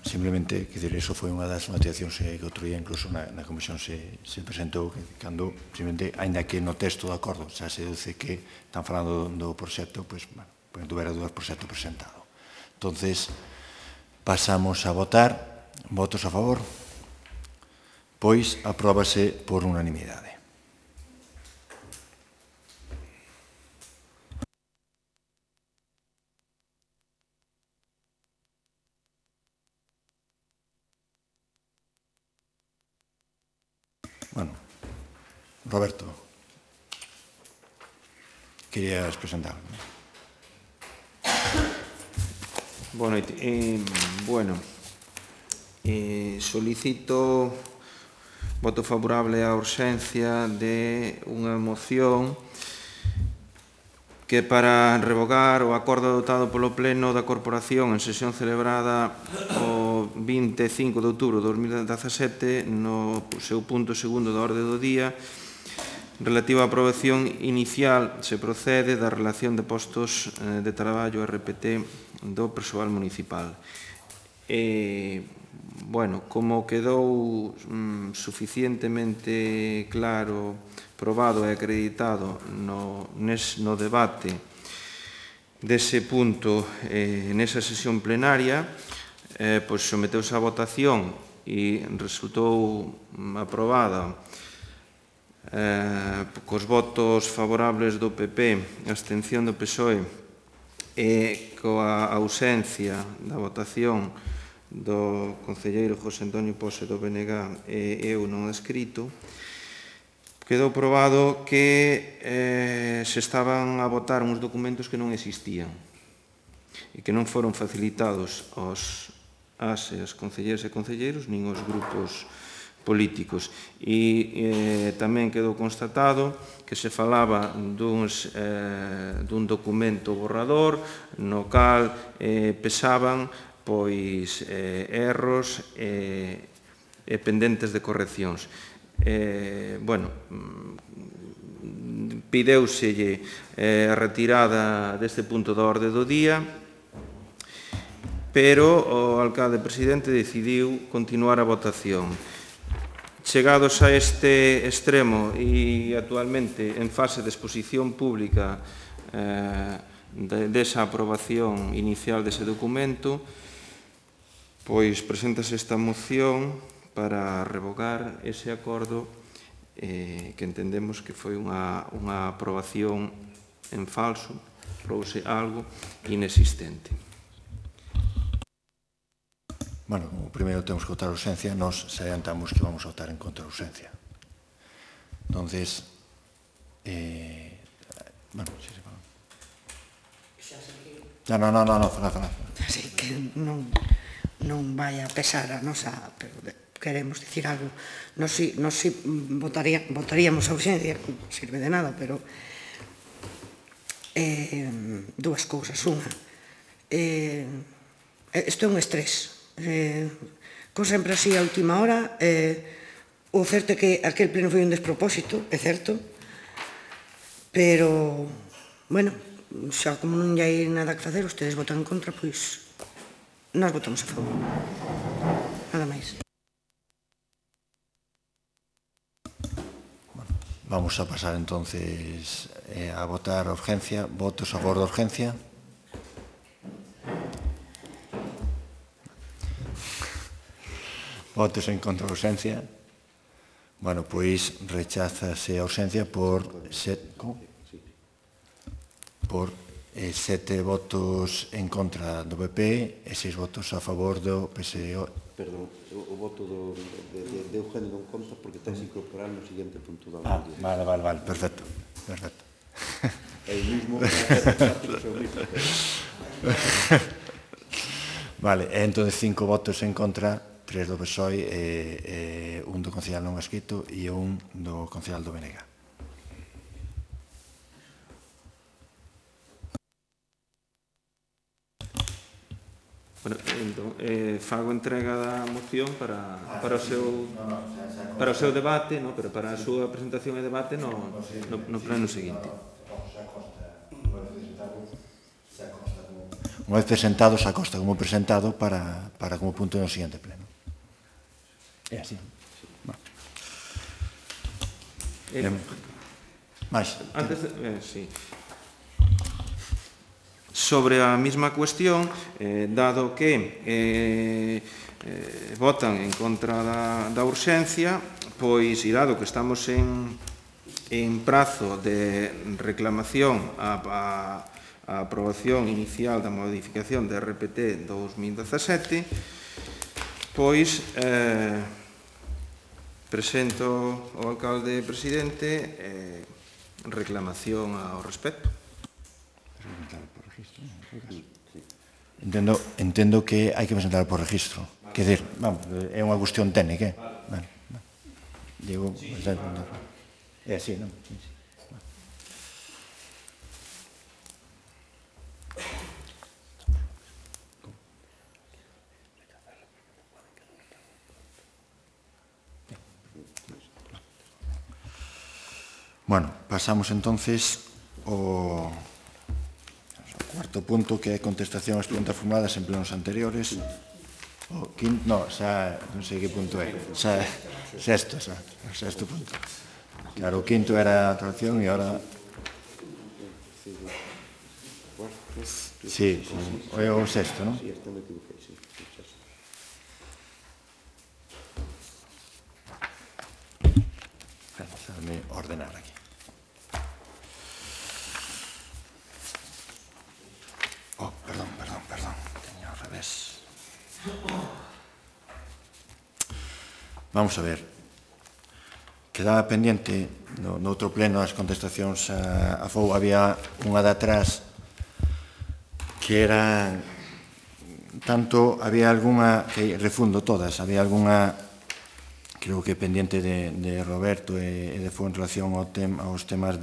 Simplemente, quer dizer, eso foi unha das motivacións que outro día incluso na comisión se presentou, cando, simplemente, ainda que no texto do acordo xa se deduce que están falando do proxecto, pois, bueno, tuvera dúas proxectos presentado. Entonces, pasamos a votar. Votos a favor? Pois, apróbase por unanimidade. Bueno, Roberto, querías presentar. Boa noite. Solicito voto favorable á urxencia de unha moción que para revogar o acordo adoptado polo Pleno da Corporación en sesión celebrada o 25 de outubro de 2017 no seu punto segundo da orde do día relativa á aprobación inicial se procede da relación de postos de traballo RPT do persoal municipal. Bueno, como quedou suficientemente claro, probado e acreditado no debate dese punto nesa sesión plenaria, pois someteuse a votación e resultou aprobada cos votos favorables do PP, a abstención do PSOE e coa ausencia da votación do concelleiro José Antonio Pose do BNG e eu non escrito, quedou probado que se estaban a votar uns documentos que non existían e que non foron facilitados aos concelleiros e concelleiros nin aos grupos políticos. E tamén quedou constatado que se falaba dun documento borrador no cal pesaban pois erros e pendentes de correccións. Bueno, pideuselle a retirada deste punto da orde do día, pero o alcalde presidente decidiu continuar a votación. Chegados a este extremo e actualmente en fase de exposición pública desa aprobación inicial dese documento, pois preséntase esta moción para revogar ese acordo que entendemos que foi unha aprobación en falso, aprobouse algo inexistente. Bueno, o primeiro temos que votar a urxencia, nos adiantamos que vamos a votar en contra da urxencia. Entonces, bueno, si se fala. No, fala. Así que non vai a pesar a nosa, pero queremos dicir algo. Nos votaríamos a urxencia, non sirve de nada, pero dúas cousas. Unha, isto é un estrés. Con sempre así a última hora, o certo é que aquel pleno foi un despropósito, é certo, pero, bueno, xa como non hai nada que facer, ustedes votan en contra, pois nós votamos a favor. Nada máis. Vamos a pasar entonces a votar a urgencia. Votos a favor da urgencia. Votos en contra da urgencia. Bueno, pois recházase a urgencia por 7 votos en contra do PP e 6 votos a favor do PSOE. Perdón, o voto de Eugenio non conta porque tens que incorporar no seguinte punto da orde. Vale, perfecto. É o mismo, Vale, entón 5 votos en contra, 3 do PSOE e 1 do concejal non adscrito e 1 do concejal do BNG. Bueno, entón, fago entrega da moción para o seu debate, no? Pero para a súa presentación e debate no pleno seguinte. Unha vez presentado, se acosta como presentado para como punto no seguinte pleno. É así. Mais? Antes de... sí. Sobre a mesma cuestión, dado que votan en contra da urxencia, pois, e dado que estamos en prazo de reclamación a aprobación inicial da modificación da RPT 2017, pois presento ao alcalde presidente reclamación ao respecto. Entendo que hai que presentar por registro. Quer dizer, é unha cuestión técnica. Digo, é así, non? Bueno, pasamos entonces ao cuarto punto, que é contestación ás preguntas formuladas en plenos anteriores. O quinto, no, xa non sei que punto é. Sexto punto. Claro, o quinto era a traducción e ahora... Sí, é o sexto, non? Déjame ordenar aquí. Perdón, teño ao revés. Vamos a ver. Quedaba pendiente no outro pleno as contestacións a FOU. Había unha de atrás que era tanto, había algunha que refundo todas, había algunha creo que pendiente de Roberto e de FOU en relación aos temas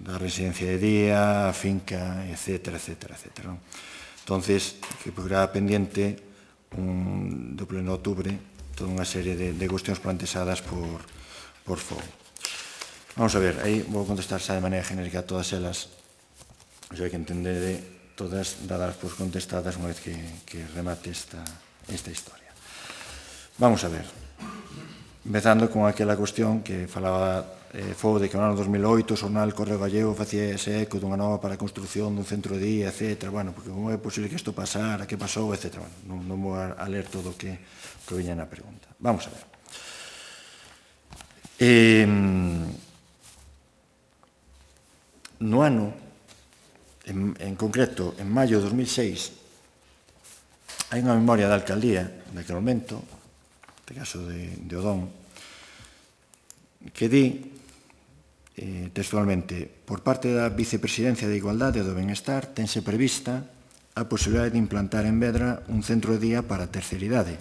da residencia de día, a finca, etcétera. Entonces, que quedaba pendiente do pleno de outubro toda unha serie de cuestións planteadas por FOU. Vamos a ver, aí vou contestar xa de maneira genérica a todas elas. Hai que entender todas dadas por contestadas unha vez que remate esta historia. Vamos a ver. Empezando con aquela cuestión que falaba FOU de que no ano 2008 o xornal Correo Gallego facía ese eco dunha nova para a construción dun centro de día, etc. Bueno, porque como é posible que isto pasara, que pasou, etc. Bueno, non vou a ler todo o que viña na pregunta. Vamos a ver. No ano, en concreto, en maio de 2006, hai unha memoria da alcaldía, naquele momento, neste caso de Odón, que di textualmente: por parte da Vicepresidencia de Igualdade e do Benestar tense prevista a posibilidade de implantar en Vedra un centro de día para a terceira idade.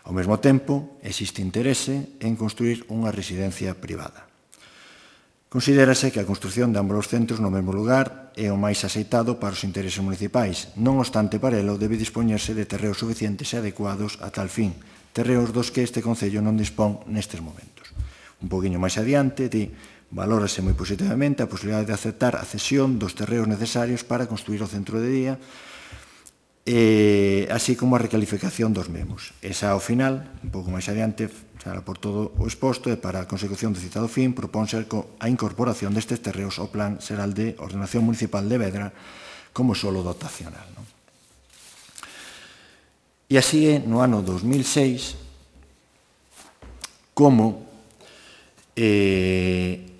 Ao mesmo tempo, existe interese en construir unha residencia privada. Considérase que a construción de ambos os centros no mesmo lugar é o máis aceitado para os intereses municipais. Non obstante, para elo debe dispoñerse de terreos suficientes e adecuados a tal fin, terreos dos que este Concello non dispón nestes momentos. un poquinho máis adiante, di, valórase moi positivamente a posibilidade de aceptar a cesión dos terreos necesarios para construir o centro de día, así como a recalificación dos mesmos. Esa, ao final, un pouco máis adiante, será por todo o exposto, e para a consecución do citado fin, propónse a incorporación destes terreos ao Plan Xeral de Ordenación Municipal de Vedra como solo dotacional. Non? E así é no ano 2006 como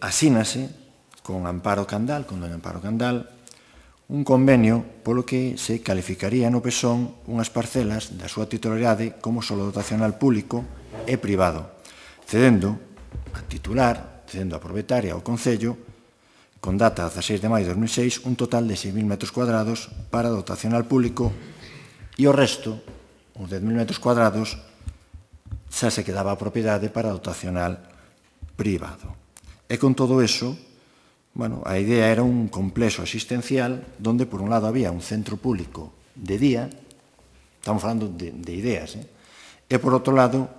asínase con Amparo Candal, con doña Amparo Candal, un convenio polo que se calificaría no PESON unhas parcelas da súa titularidade como solo dotacional público e privado, cedendo a titular, cedendo a propietaria ao Concello, con data 16 de maio de 2006, un total de 6.000 metros cuadrados para dotacional público e o resto, os 10.000 metros cuadrados, xa se quedaba a propiedade para dotacional privado. E con todo eso, bueno, a idea era un complexo asistencial donde, por un lado, había un centro público de día, estamos falando de ideas, e, por outro lado,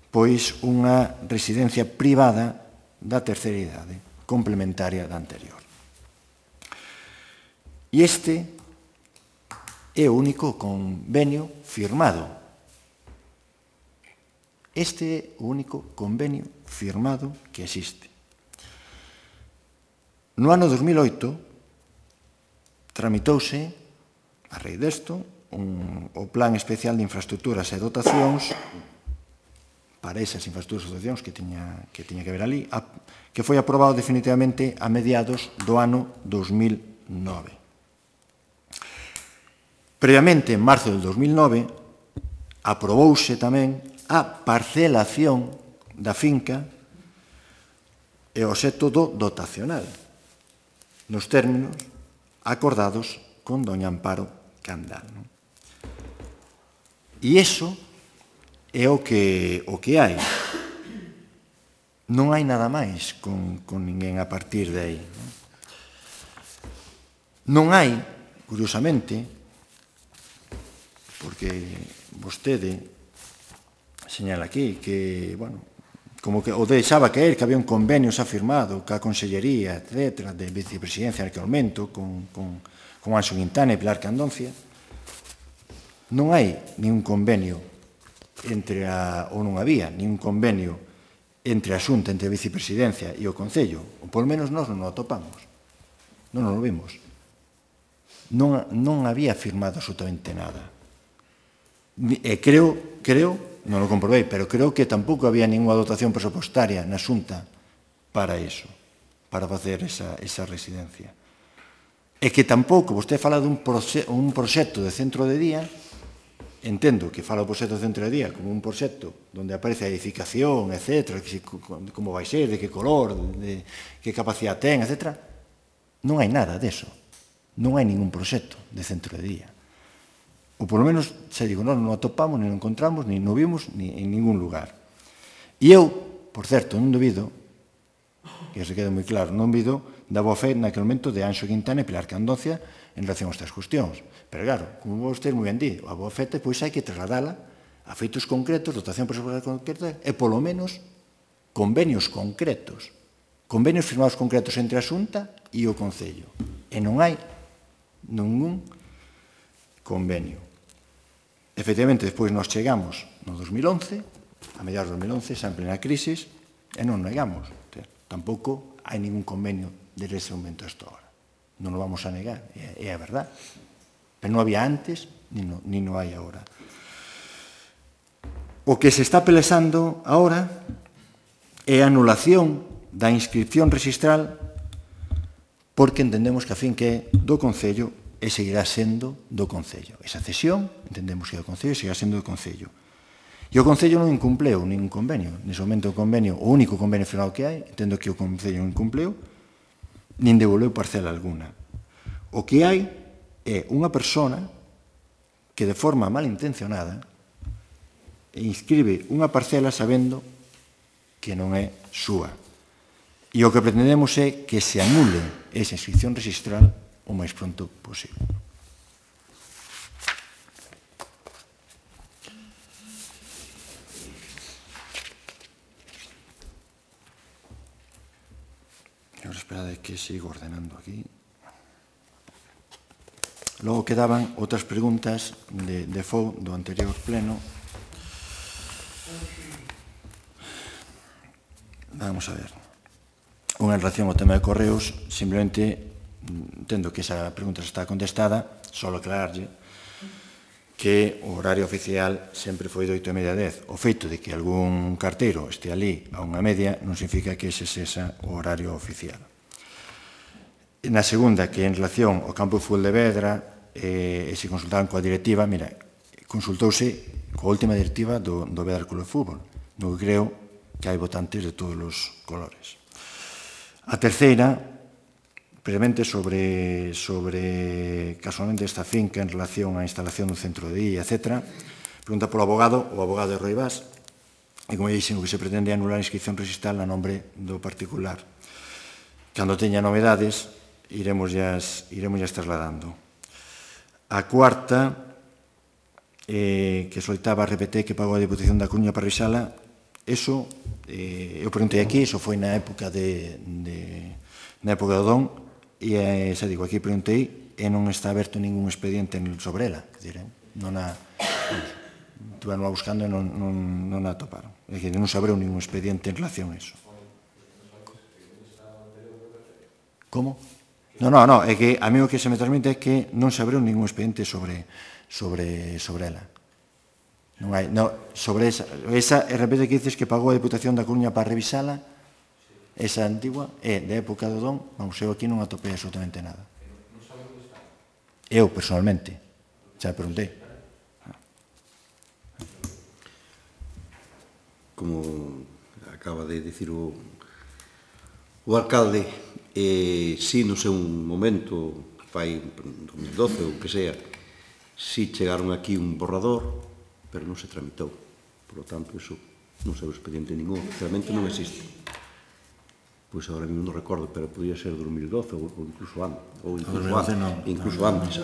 pois unha residencia privada da terceira idade, complementaria da anterior. E este é o único convenio firmado. Este é o único convenio firmado que existe. No ano 2008 tramitouse, a raíz desto, o Plan Especial de Infraestructuras e Dotacións para esas infraestructuras e dotacións que tiña que ver ali, que foi aprobado definitivamente a mediados do ano 2009. Previamente, en marzo del 2009, aprobouse tamén a parcelación da finca e o obxecto do dotacional, nos términos acordados con doña Amparo Candal. E iso é o que hai. Non hai nada máis con ninguén a partir de aí. Non hai, curiosamente, porque vostede señala aquí que, bueno, como que o deixaba caer que había un convenio xa firmado ca Consellería, etc., de vicepresidencia en aquel momento, con Anxo Quintana e Pilar Candoncia. Non hai ningún convenio ou non había ningún convenio entre a Xunta, entre a vicepresidencia e o Concello, ou polo menos nós non o atopamos, non o vimos. Non había firmado absolutamente nada. E creo, non o comprobei, pero creo que tampouco había ninguna dotación presupostaria na Xunta para iso, para facer esa residencia. E que tampouco, vostede fala dun proxecto de centro de día, entendo que fala o proxecto de centro de día como un proxecto onde aparece a edificación, etc., como vai ser, de que color, de que capacidade ten, etc. Non hai nada deso. Non hai ningún proxecto de centro de día. Ou polo menos, xa digo, non o atopamos, nin o encontramos, nin o vimos, nin en ningún lugar. E eu, por certo, non dubido, que se quede moi claro, non dubido da boa fe naquele momento de Anxo Quintana e Pilar Candoncia en relación a estas cuestións. Pero claro, como vostede moi ben di, a boa fe pois hai que trasladala a feitos concretos, dotación presupuestaria concreta e polo menos convenios concretos. Convenios firmados concretos entre a Xunta e o Concello. E non hai ningún convenio. Efectivamente, despois nos chegamos no 2011, a mediados do 2011, xa en plena crisis, e non negamos. Tampouco hai ningún convenio desde ese momento hasta ahora. Non o vamos a negar, é a verdad. Pero non había antes, ni non hai agora. O que se está pelexando agora é a anulación da inscripción registral porque entendemos que a fin que é do Concello e seguirá sendo do Concello. Esa cesión, entendemos que é do Concello e seguirá sendo do Concello. E o Concello non incumpleu ningún convenio. Nese momento o convenio, o único convenio firmado que hai, entendo que o Concello non incumpleu, nin devolveu parcela alguna. O que hai é unha persona que de forma malintencionada inscribe unha parcela sabendo que non é súa. E o que pretendemos é que se anule esa inscripción registral o máis pronto posible. Esperad que sigo ordenando aquí. Logo quedaban outras preguntas de FOU do anterior pleno. Vamos a ver. Unha en relación ao tema de correos, simplemente entendo que esa pregunta está contestada, só aclararlle que o horario oficial sempre foi de 8:30 a 10. O feito de que algún carteiro este ali a 1:30 non significa que ese sexa o horario oficial. Na segunda, que en relación ao campo de fútbol de Vedra, se consultaban coa directiva, mira, consultouse coa última directiva do Vedra Club de Fútbol, no que creo que hai votantes de todos os colores. A terceira, previamente sobre casualmente esta finca en relación á instalación do centro de día, etc. Pregunta polo abogado, o abogado de Roi Vaz, e como dixen, o que se pretende é anular a inscripción registral a nombre do particular. Cando teña novedades, iremos trasladando. A cuarta, que solicitaba a RPT que pagou a Diputación da Coruña para revisala, eso, eu preguntei aquí, eso foi na época do Don, e xa digo, aquí preguntei, e non está aberto ningún expediente sobre ela, non a estuveron buscando e non a toparon, é dicir, non se abriu ningún expediente en relación a eso. Como? Non, é que a mí o que se me transmite é que non se abriu ningún expediente sobre ela. Non hai, sobre esa repete que dices que pagou a Diputación da Coruña para revisala, esa antigua, é de época do Don, vamos, eu aquí non atopei absolutamente nada. Eu, personalmente, xa preguntei. Como acaba de dicir o alcalde, si no seu momento, fai 2012 ou que sea, si chegaron aquí un borrador, pero non se tramitou. Por lo tanto, iso non sei o expediente ningún, realmente non existe. Pois agora mesmo non recordo, pero podía ser 2012 ou incluso antes. Ou incluso antes.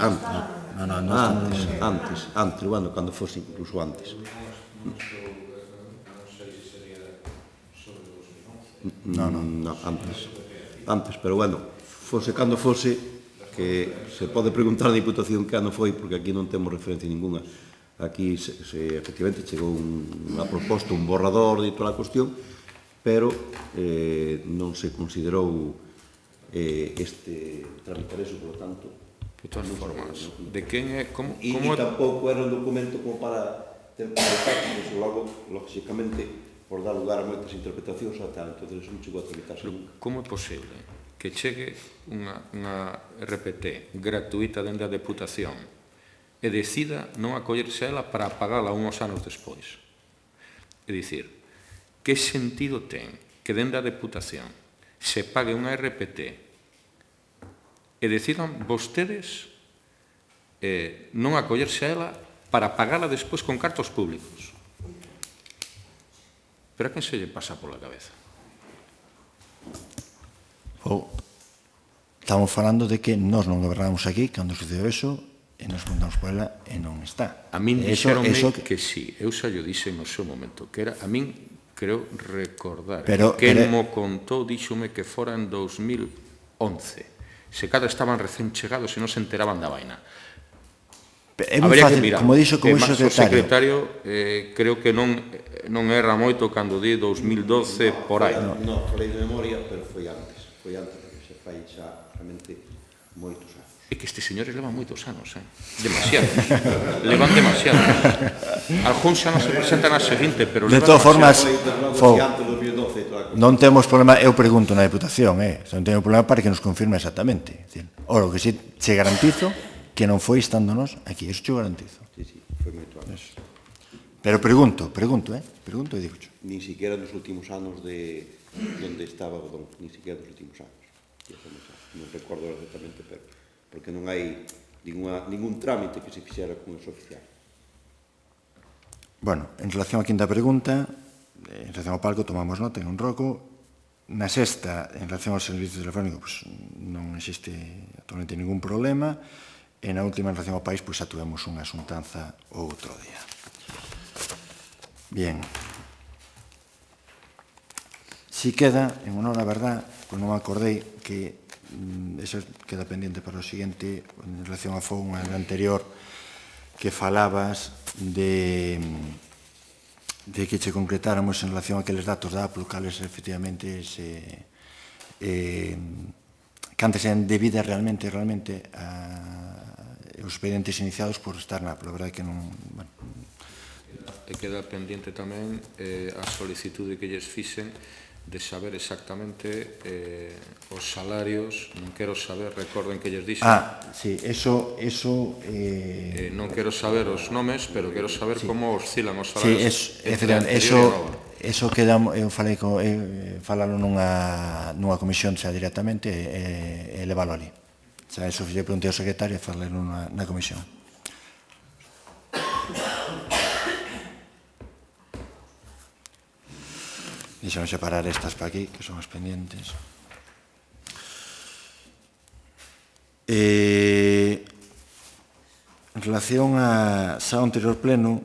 Antes, bueno, cando fose incluso antes. Non, antes, pero bueno, fose cando fose, que se pode preguntar a Diputación que ano foi, porque aquí non temos referencia ninguna. Aquí, efectivamente, chegou unha proposta, un borrador de toda a cuestión, pero non se considerou tramitar eso, por lo tanto... De todas formas, de quen é... E tampouco era un documento como para ter prácticas, logo, lógicamente, por dar lugar a moitas interpretacións a tal, entón non chegou a tramitarse nunca. Como é posible que chegue unha RPT gratuita dende a Deputación e decida non acollerse a ela para pagala uns anos despois? É dicir, que sentido ten que dende a Deputación se pague unha RPT e decidan vostedes non acollerse a ela para pagala despois con cartos públicos? Pero a quen se lle pasa pola cabeza? Estamos falando de que nós non gobernamos aquí cando sucedeu eso e nos preguntamos por ela e non está. A min dixeronme que sí, eu xa llo dixen no seu momento, que era, a min creo recordar, que mo contou, díxome que fora en 2011, se cada estaban recén chegados e non se enteraban da vaina. É moi fácil, como dixo como secretario, creo que non erra moito cando di 2012 por aí. Non, falei de memoria, pero foi antes, porque se fai xa realmente moitos anos. É que estes señores levan moitos anos, demasiados, levan demasiados. Algúns xa non se presentan a seguinte, pero de todas formas, non temos problema, eu pregunto na Deputación, non temos problema para que nos confirme exactamente. Ora, o que si che garantizo que non foi estando nos aquí, eso te garantizo. Sí, foi moito anos. Pero pregunto e digo xo. Nin siquiera nos últimos anos de onde estaba o Don, nin siquiera nos últimos anos. Non recordo exactamente, pero porque non hai ningún trámite que se fixera con eso oficial. Bueno, en relación á quinta pregunta, en relación ao palco, tomamos nota en un roco. Na sexta, en relación aos servicios telefónicos, non existe actualmente ningún problema. E na última, en relación ao país, xa tuvemos unha asuntanza outro día. Bien. Si queda, en honor a verdad, pois non me acordei que eso queda pendiente para o seguinte, en relación a FOUN anterior, que falabas de que che concretáramos en relación a aqueles datos da Apple, cales efectivamente cantes sean debidas realmente os expedientes iniciados por estar na Apple. A verdade que non... E queda pendiente tamén a solicitude que lles fixen de saber exactamente os salarios. Non quero saber, recorden que lles dixen. Sí, eso... Non quero saber os nomes, pero quero saber como oscilan os Sí, salarios entre a anterior e a nova. Eso queda, eu falei falalo nunha comisión xa directamente e levalo ali. Xa, eso lle preguntei ao secretario e falalo na comisión. Deixamos separar estas para aquí, que son as pendientes. En relación a xa anterior pleno,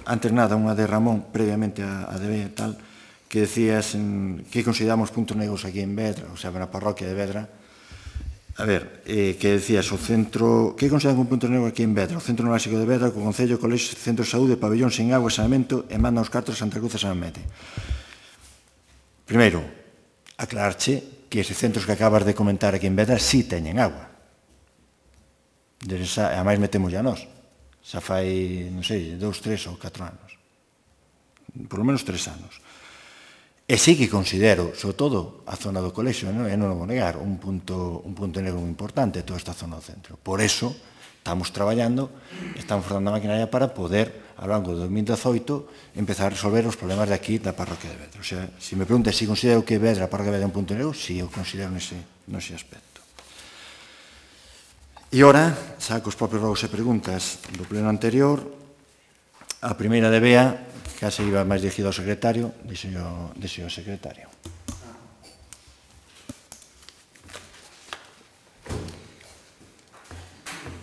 antes nada, unha de Ramón, previamente a DB e tal, que decías que consideramos puntos negros aquí en Vedra, o sea, na parroquia de Vedra. A ver, que decías, o centro, que consideran un punto negro aquí en Vedra? O Centro Neurálxico de Vedra, co Concello, Colexio, Centro de Saúde, Pabellón sin agua e saneamento, e mandan os cartos a Santa Cruz e San Mete. Primeiro, aclararche que estes centros que acabas de comentar aquí en Vedra sí teñen agua. A máis metemos ya nós. Xa fai, non sei, 2, 3 ou 4 anos. Por lo menos 3 anos. E sí que considero, sobre todo, a zona do colexio, e non o vou negar, un punto negro moi importante toda esta zona do centro. Por eso, estamos traballando, estamos formando a maquinaria para poder, ao longo de 2018, empezar a resolver os problemas de aquí da parroquia de Vedra. O sea, se me preguntas se considero que Vedra, a parroquia de Vedra é un punto negro, sí, eu considero nese aspecto. E ora, xa cos propios rogos e preguntas do pleno anterior, a primeira de Bea, que se iba máis dirigido ao secretario, dixo ao secretario.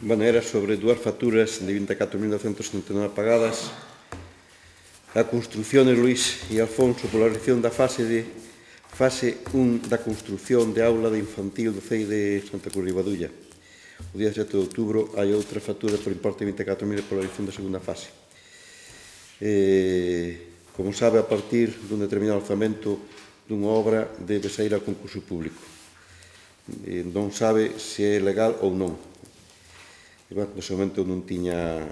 Bueno, era sobre dúas facturas de 24.979 pagadas. A construción de Luís e Alfonso pola realización da fase 1 da construción de aula de infantil do CEI de Santa Cruz de Badulla. O día 7 de outubro hai outra factura por importe de 24.000 pola realización da segunda fase. Como sabe, a partir dun determinado orzamento dunha obra debe sair a concurso público. Non sabe se é legal ou non. Nese momento non tiña,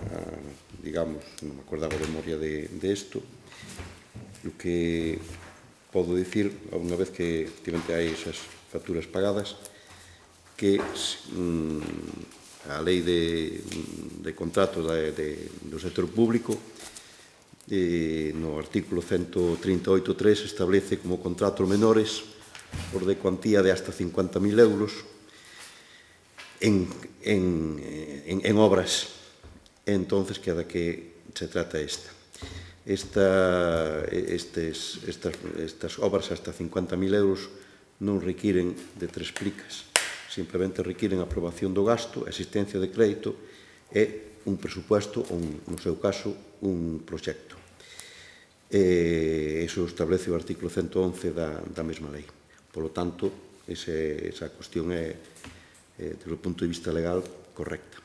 digamos, non me acordaba de memoria de isto. O que podo dicir, unha vez que efectivamente hai esas facturas pagadas, que a lei de contrato do sector público, no artículo 138.3, establece como contratos menores por de cuantía de hasta 50.000 euros en obras. Entonces, queda que se trata esta. Estas obras hasta 50.000 euros non requiren de 3 plicas. Simplemente requiren aprobación do gasto, existencia de crédito e un presupuesto ou, no seu caso, un proxecto. Iso establece o artículo 111 da mesma lei. Por lo tanto, esa cuestión é, desde o punto de vista legal, correcta.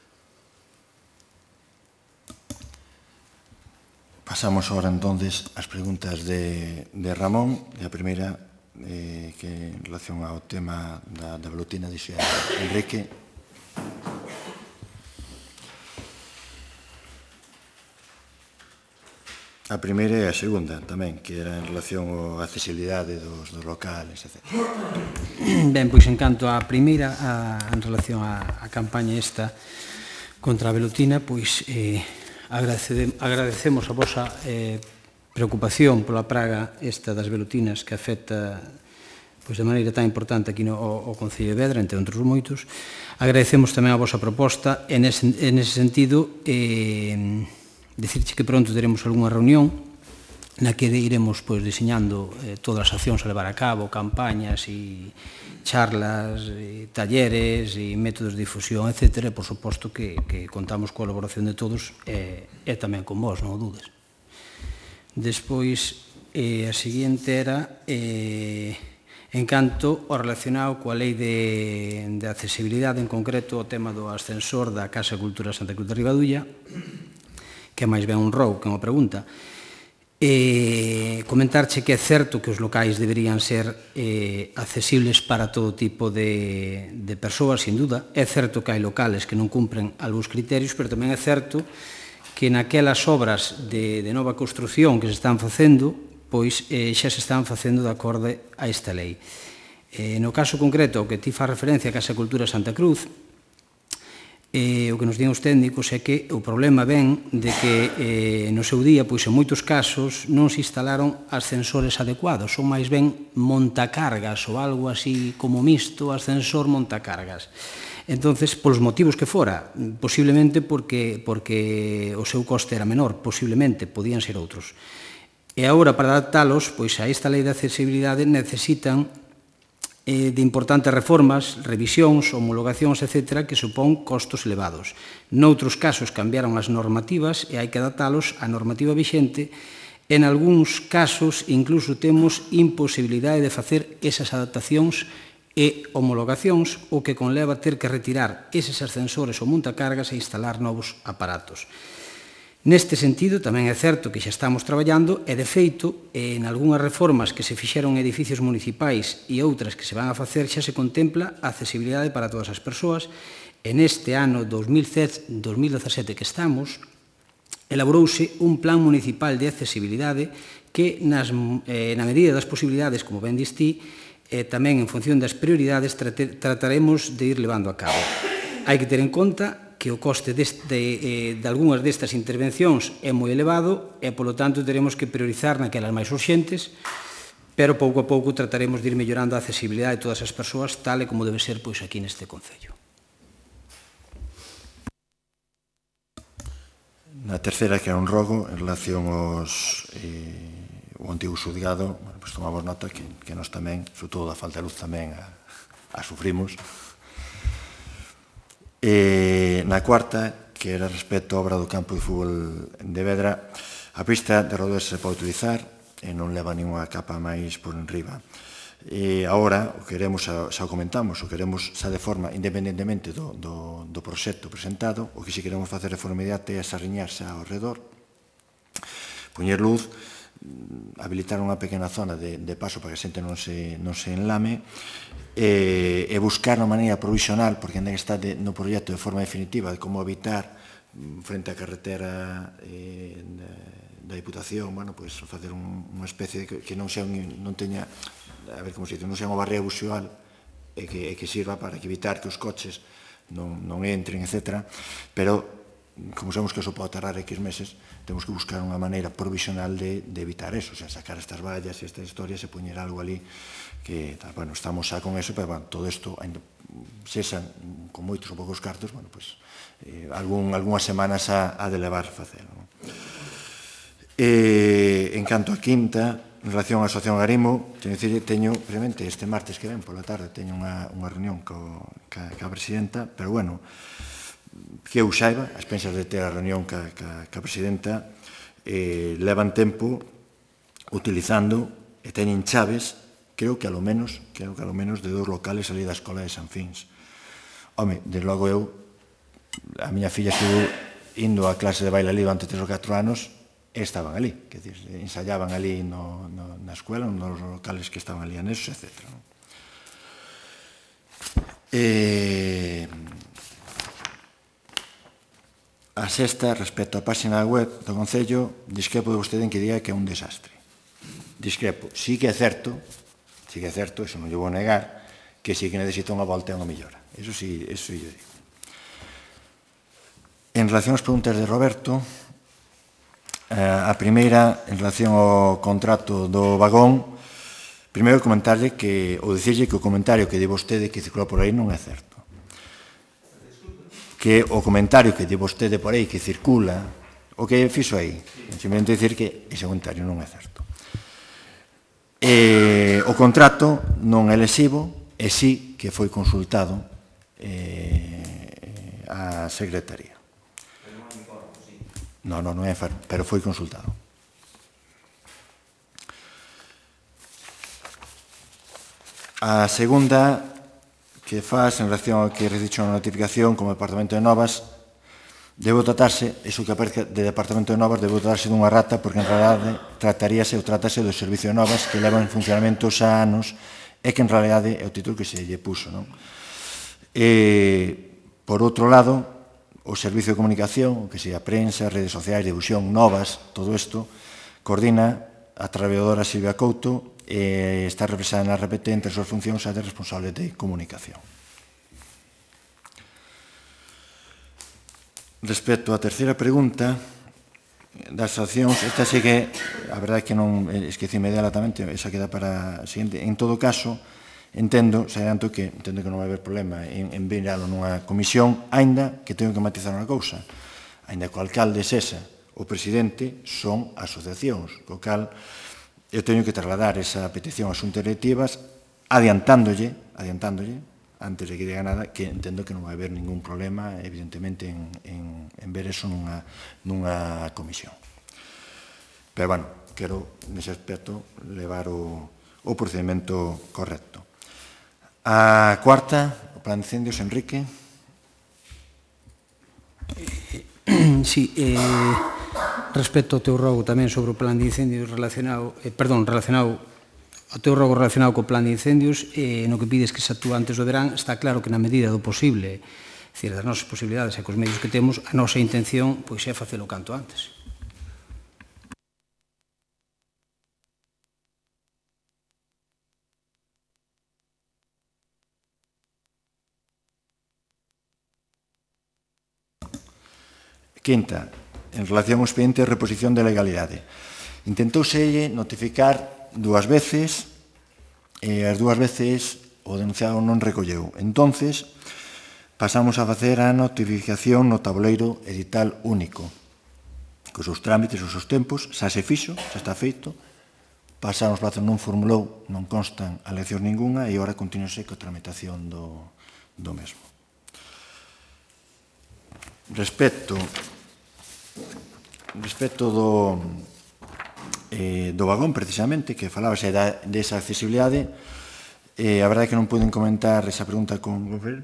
Pasamos ahora, entonces, ás preguntas de Ramón. E a primeira, que en relación ao tema da velutina, dixe Enrique. A primeira e a segunda tamén, que era en relación á accesibilidade dos locales, etc. Ben, pois en canto á primeira, en relación á campaña esta contra a velutina, pois agradecemos a vosa preocupación pola praga esta das velutinas que afecta de maneira tan importante aquí ao Concello de Vedra, entre outros moitos. Agradecemos tamén a vosa proposta e nese sentido dicirche que pronto teremos algunha reunión na que iremos diseñando todas as accións a levar a cabo, campañas e charlas, talleres e métodos de difusión, etc. Por suposto que contamos coa colaboración de todos e tamén con vos, non o dudes. Despois, e a seguinte era en canto ao relacionado coa lei de accesibilidade, en concreto o tema do ascensor da Casa Cultura Santa Cruz de Ribadulla, que é máis ben un rou que unha pregunta. Comentarche que é certo que os locais deberían ser accesibles para todo tipo de persoas, sin duda. É certo que hai locales que non cumpren algúns criterios, pero tamén é certo que naquelas obras de nova construción que se están facendo, pois xa se están facendo de acordo a esta lei. No caso concreto, o que ti fa referencia a Casa Cultura Santa Cruz, o que nos din os técnicos é que o problema ven de que no seu día, pois en moitos casos, non se instalaron ascensores adecuados, son máis ben montacargas ou algo así como mixto, ascensor montacargas. Entonces, polos motivos que fora, posiblemente porque o seu coste era menor, posiblemente, podían ser outros. E agora, para adaptalos, pois a esta lei de accesibilidade necesitan de importantes reformas, revisións, homologacións, etc., que supón costos elevados. Noutros casos cambiaron as normativas e hai que adaptalos á normativa vixente. En algúns casos, incluso temos imposibilidade de facer esas adaptacións e homologacións, o que conleva ter que retirar eses ascensores ou montacargas e instalar novos aparatos. Neste sentido, tamén é certo que xa estamos traballando e, de feito, en algunhas reformas que se fixeron en edificios municipais e outras que se van a facer xa se contempla a accesibilidade para todas as persoas. En este ano 2017 que estamos, elaborouse un plan municipal de accesibilidade que, na medida das posibilidades, como ben distí, tamén en función das prioridades, trataremos de ir levando a cabo. Hai que ter en conta que o coste de algunhas destas intervencións é moi elevado e, polo tanto, teremos que priorizar naquelas máis urxentes, pero pouco a pouco trataremos de ir mellorando a accesibilidade de todas as persoas, tal e como debe ser pois aquí neste Concello. Na terceira, que é un rogo, en relación aos o antigo xudgado, pois tomamos nota que nós tamén, sobre todo da falta de luz, tamén a sufrimos. Na cuarta, que era respecto á obra do campo de fútbol de Vedra, a pista de Rodés se pode utilizar e non leva ninguna capa máis por enriba. Agora, o que queremos, xa o comentamos, o queremos xa de forma, independentemente do proxecto presentado, o que si queremos facer de forma inmediata é sarriñarse ao redor, poñer luz, habilitar unha pequena zona de paso para que a xente non se enlame, e buscar unha maneira provisional, porque ainda que está no proxecto de forma definitiva, de como evitar frente á carretera da Diputación, facer unha especie que non teña, a ver como se dice, non sea unha barrera visual e que sirva para evitar que os coches non entren, etc. Pero, como sabemos que eso pode tardar X meses, temos que buscar unha maneira provisional de evitar eso, o sea, sacar estas vallas e estas historias e poñer algo ali que, bueno, estamos xa con eso, pero, bueno, todo isto, sexan con moitos ou poucos cartos, bueno, pois, algunhas semanas ha de levar facer. En canto a quinta, en relación á Asociación Agarimo, teño, previamente, este martes que ven, pola tarde, teño unha reunión ca presidenta, pero, bueno, que eu saiba, as pensas de ter a reunión ca presidenta, levan tempo utilizando e teñen chaves, creo que a lo menos de 2 locales ali da Escola de San Fins. Home, desde logo eu, a miña filla estuvo indo a clase de baile ali durante 3 ou 4 anos e estaban ali, que ensayaban ali na escuela, nos locales que estaban ali anexos, etc. A sexta, respecto á página web do Concello, discrepo de vostede en que diga que é un desastre. Discrepo. Sí que é certo, eso non lle vou negar, que sí que necesita unha volta e unha mellora. Eso sí, yo digo. En relación ás preguntas de Roberto, a primeira, en relación ao contrato do vagón, primeiro comentarlle ou dicirlle que o comentario que di vostede que circula por aí non é certo. Que o comentario que di vostede por aí que circula, o que fixo aí, simplemente dicir que ese comentario non é certo. O contrato non é lesivo e sí que foi consultado a Secretaría. Non é, pero foi consultado. A segunda que faz en relación ao que recicho na notificación como Departamento de Novas, debo tratarse, iso que aparece de Departamento de Novas, debo tratarse dunha rata, porque en realidade trátase do Servicio de Novas que leva en funcionamento xa anos e que en realidade é o título que se lle puxo, non? Por outro lado, o Servicio de Comunicación, que sea prensa, redes sociais, difusión, novas, todo isto, coordina a traballadora Silvia Couto e está represada na RPT entre as súas funcións a de responsable de comunicación. Respecto á terceira pregunta das accións, esta sí que a verdade é que non esquecime dela tamén, esa queda para a seguinte. En todo caso, entendo, xa adianto que entendo que non vai haber problema en viralo nunha comisión, aínda que teño que matizar unha cousa, aínda que o alcalde sesa o presidente son asociacións, co cal eu teño que trasladar esa petición ás xuntas directivas adiantándolle, antes de que diga nada, que entendo que non vai haber ningún problema, evidentemente, en ver eso nunha comisión. Pero, bueno, quero, nese aspecto, levar o procedimento correcto. A cuarta, o plan de incendios, Enrique. Sí, respecto ao teu rogo tamén sobre o plan de incendios relacionado ao teu rogo relacionado co plan de incendios, no que pides que se actúa antes do verán, está claro que na medida do posible, é dicir, das nosas posibilidades e cos medios que temos, a nosa intención pois é facelo canto antes. Quinta, en relación ao expediente de reposición de legalidade. Intentouselle notificar dúas veces e as dúas veces o denunciado non recolleu. Entonces, pasamos a facer a notificación no tabuleiro edital único. Cos seus trámites, os seus tempos, xa se fixo, xa está feito, pasaron os plazos, non formulou, non constan aleccións ninguna e agora continúese coa tramitación do mesmo. Respecto do vagón, precisamente, que falábase desa accesibilidade, a verdade é que non poden comentar esa pregunta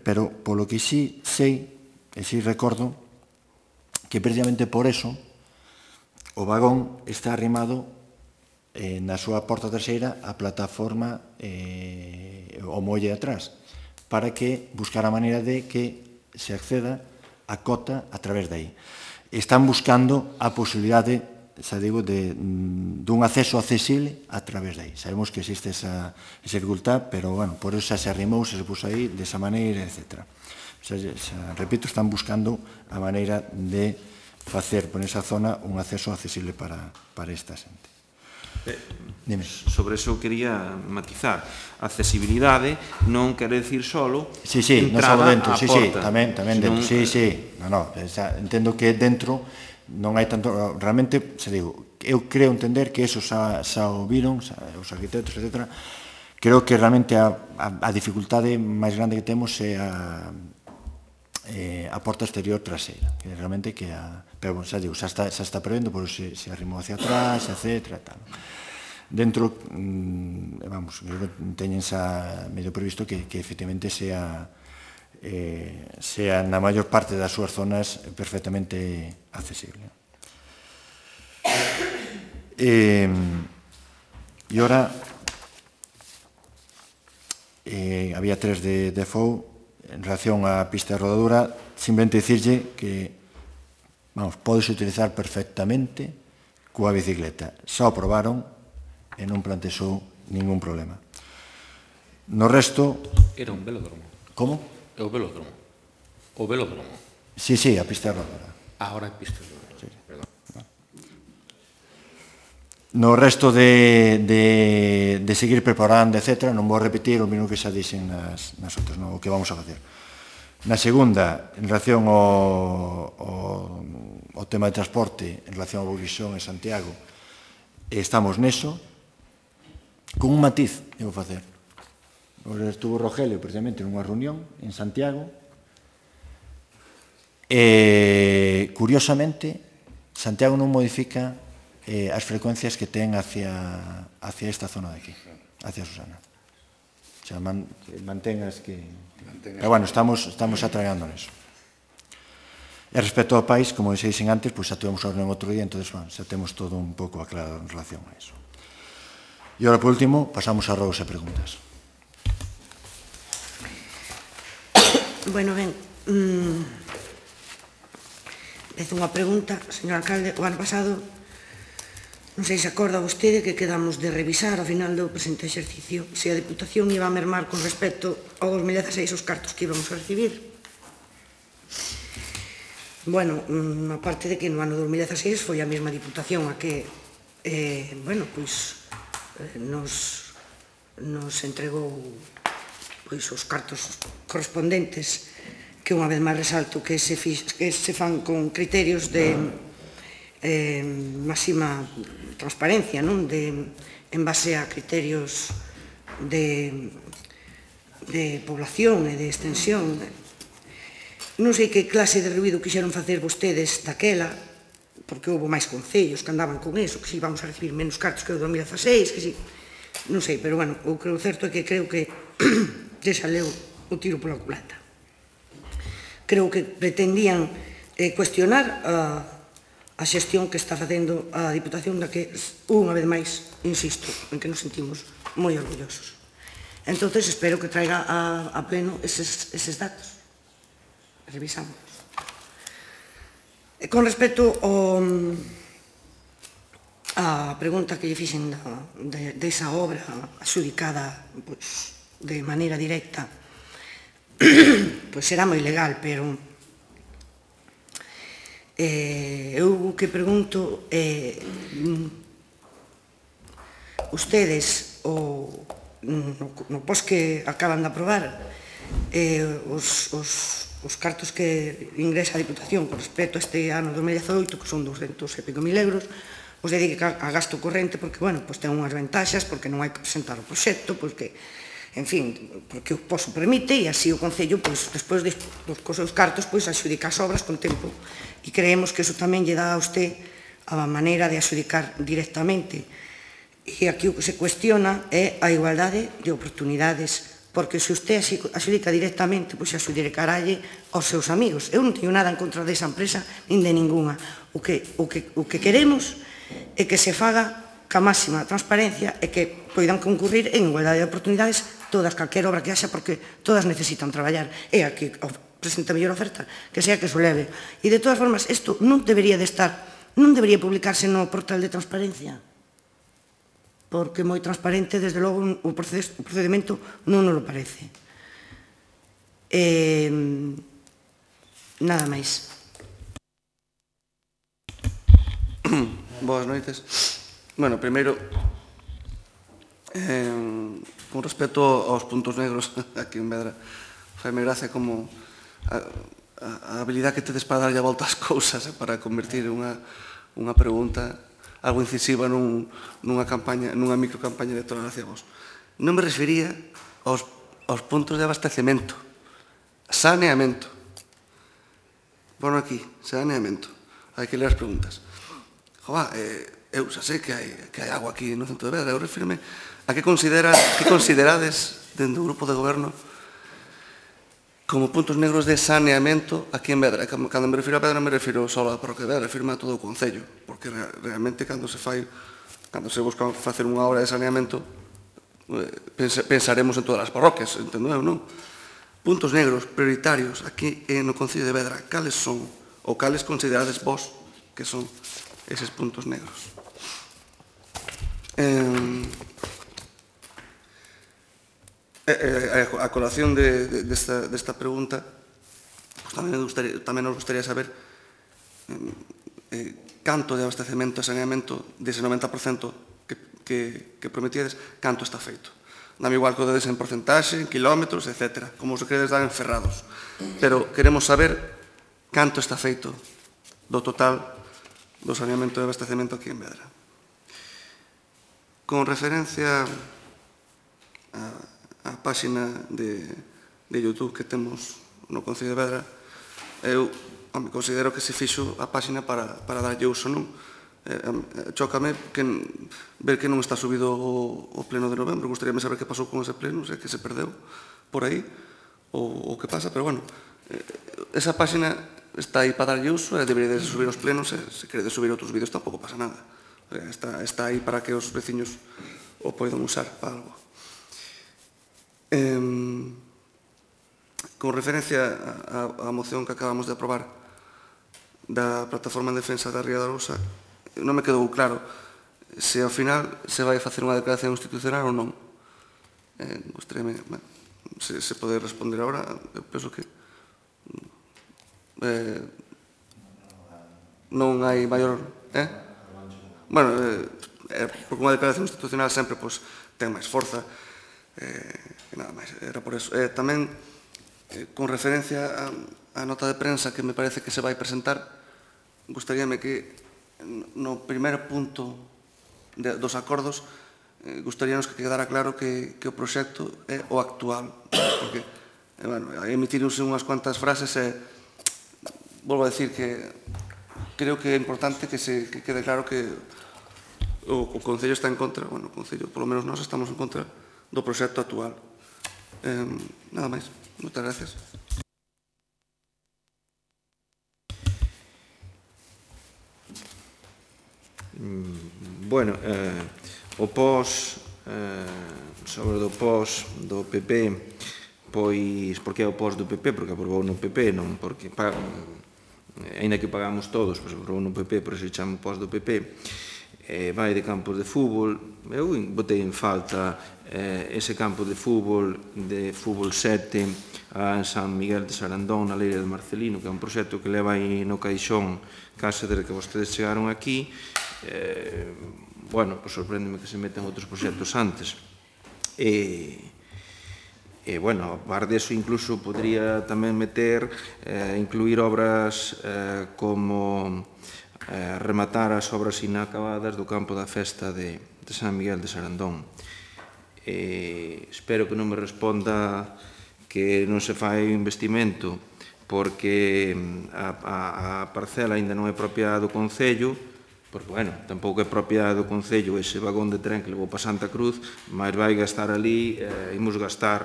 pero polo que sí sei, e sí recordo, que precisamente por eso o vagón está arrimado na súa porta traseira a plataforma o molle atrás, para que buscar a maneira de que se acceda a cota a través de aí. Están buscando a posibilidade, xa digo, dun acceso accesible a través de aí. Sabemos que existe esa dificultad, pero, bueno, por eso xa se arrimou, se puso aí, desa maneira, etc. Repito, están buscando a maneira de facer por esa zona un acceso accesible para esta xente. Sobre eso quería matizar. Accesibilidade non quere decir solo entrada á porta. Sí, tamén dentro. Sí, entendo que dentro non hai tanto... Realmente, se digo, eu creo entender que eso xa o viron, os arquitectos, etc. Creo que realmente a dificultade máis grande que temos é a porta exterior traseira. Realmente que pero, xa digo, xa está prevendo, por se arrimou hacia atrás, etc. Dentro, vamos, teñen xa medio previsto que efectivamente sea na maior parte das súas zonas perfectamente accesible. E ora había tres de FOU en relación á pista de rodadura, simplemente dicirlle que podes utilizar perfectamente coa bicicleta. Xa o probaron e non plantexou ningún problema. No resto... Era un velódromo. Como? É o velódromo. O velódromo. Sí, a pista de rodadura. Ahora é pista de rodadura. Perdón. No resto de seguir preparando, etc., non vou repetir o mismo que xa dixen nas outras, o que vamos a facer. Na segunda, en relación ao tema de transporte, en relación ao Bourguixón e Santiago, estamos neso, con un matiz, devo facer. Estuvo Rogelio, precisamente, nunha reunión en Santiago, e, curiosamente, Santiago non modifica as frecuencias que ten hacia esta zona de aquí, hacia Susana. xa mantengas que... Pero bueno, estamos atragando neso. E respecto ao país, como dixen antes, xa tuvemos a reunión outro día, entón xa temos todo un pouco aclarado en relación a eso. E agora, por último, pasamos a rodos e preguntas. Bueno, ben, Dece unha pregunta, señor alcalde. O ano pasado, non sei se acorda vostede que quedamos de revisar ao final do presente exercicio se a Diputación iba a mermar con respecto ao 2016 os cartos que íbamos a recibir. Bueno, aparte de que no ano 2016 foi a mesma Diputación a que, nos entregou os cartos correspondentes, que unha vez máis resalto que se fan con criterios de máxima transparencia, en base a criterios de población e de extensión. Non sei que clase de ruído quixeron facer vostedes daquela, porque houve máis concellos que andaban con eso, que si vamos a recibir menos cartos que o 2016, que si... Non sei, pero, bueno, o que o certo é que creo que lle saleu o tiro pola culata. Creo que pretendían cuestionar a xestión que está facendo a Diputación, da que, unha vez máis, insisto, en que nos sentimos moi orgullosos. Entón, espero que traiga a pleno eses datos. Revisamos. Con respecto a pregunta que lle fixen desa obra adxudicada de maneira directa, pois será moi legal, pero eu que pregunto, ustedes, no pos que acaban de aprobar, os cartos que ingresa a Diputación con respecto a este ano 2018, que son 200 e pico mil euros, os dedica a gasto corrente, porque, bueno, ten unhas ventaxas, porque non hai que presentar o proxecto, porque, en fin, porque o POS o permite, e así o Concello, despois cos seus cartos, axudica as obras con tempo. E creemos que iso tamén lle dá a usted a maneira de axudicar directamente. E aquí o que se cuestiona é a igualdade de oportunidades, porque se usted axudica directamente, pois axudicaralle aos seus amigos. Eu non teño nada en contra desa empresa, nin de ninguna. O que queremos é que se faga ca máxima transparencia e que poidan concurrir en igualdade de oportunidades todas, calquera obra que haxa, porque todas necesitan traballar. E a que presenta mellor oferta, que sea que se leve. E, de todas formas, isto non debería de estar, non debería publicarse no portal de transparencia, porque moi transparente, desde logo, o procedimento non nos lo parece. Nada máis. Boas noites. Bueno, primeiro, con respecto aos puntos negros aquí en Vedra, faime gracia como a habilidade que tedes para darlle a volta ás cousas, para convertir unha pregunta algo incisiva nunha microcampaña electoral hacia vos. Non me refería aos puntos de abastecemento, saneamento. Bueno, aquí, saneamento. Hai que ler as preguntas. Joa, eu xa sei que hai agua aquí no centro de Vedra. Eu refirme a que considerades dentro do grupo de goberno como puntos negros de saneamento aquí en Vedra. Cando me refiro a Vedra, me refiro só a parroquia de Vedra, refirme a todo o Concello, porque realmente cando se busca facer unha obra de saneamento, pensaremos en todas as parroquias, entendo eu, non? Puntos negros prioritarios aquí no Concello de Vedra, cales son, ou cales considerades vos que son eses puntos negros? A colación desta pregunta, tamén nos gustaría saber canto de abastecemento e saneamento dese 90% que prometíades, canto está feito. Dame igual que o dedes en porcentaxe, en kilómetros, etc. Como os queredes dar en ferrados. Pero queremos saber canto está feito do total do saneamento e abastecemento aquí en Vedra. Con referencia a páxina de YouTube que temos no Concello de Vedra, eu considero que se fixo a páxina para darlle uso, non? Chócame ver que non está subido o pleno de novembro. Gustaríame saber que pasou con ese pleno, se que se perdeu por aí, ou que pasa, pero bueno, esa páxina está aí para darlle uso, debería de subir os plenos, se queredes subir outros vídeos tampouco pasa nada. Está aí para que os veciños o poidan usar para algo. Con referencia á moción que acabamos de aprobar da Plataforma en Defensa da Ría da Arousa, non me quedou claro se ao final se vai facer unha declaración institucional ou non. Gostaríame se poder responder agora. Eu penso que non hai maior... Bueno, porque unha declaración institucional sempre ten máis forza e nada máis, era por eso. Tamén, con referencia á nota de prensa que me parece que se vai presentar, gustaríame que no primeiro punto dos acordos gustaríanos que quedara claro que o proxecto é o actual, porque emitirse unhas cuantas frases e volvo a decir que creo que é importante que quede claro que o Concello está en contra, bueno, o Concello, polo menos nós estamos en contra do proxecto actual. Nada máis. Moitas gracias. Bueno, o pos sobre o pos do PP, pois, por que é o pos do PP? Porque aprobou no PP, non porque aínda que pagamos todos, pois aprobou no PP, por iso chamo pos do PP. Vai de campos de fútbol. Eu botei en falta ese campo de fútbol 7 a San Miguel de Sarandón, na Leira de Marcelino, que é un proxecto que leva aí no caixón case desde que vostedes chegaron aquí. Bueno, pois sorpréndeme que se metan outros proxectos antes. Bueno, a par deso incluso podría tamén incluir obras como rematar as obras inacabadas do campo da festa de San Miguel de Sarandón. Espero que non me responda que non se fai investimento porque a parcela ainda non é propia do Concello, porque, bueno, tampouco é propia do Concello ese vagón de tren que levou para Santa Cruz, mas vai gastar ali,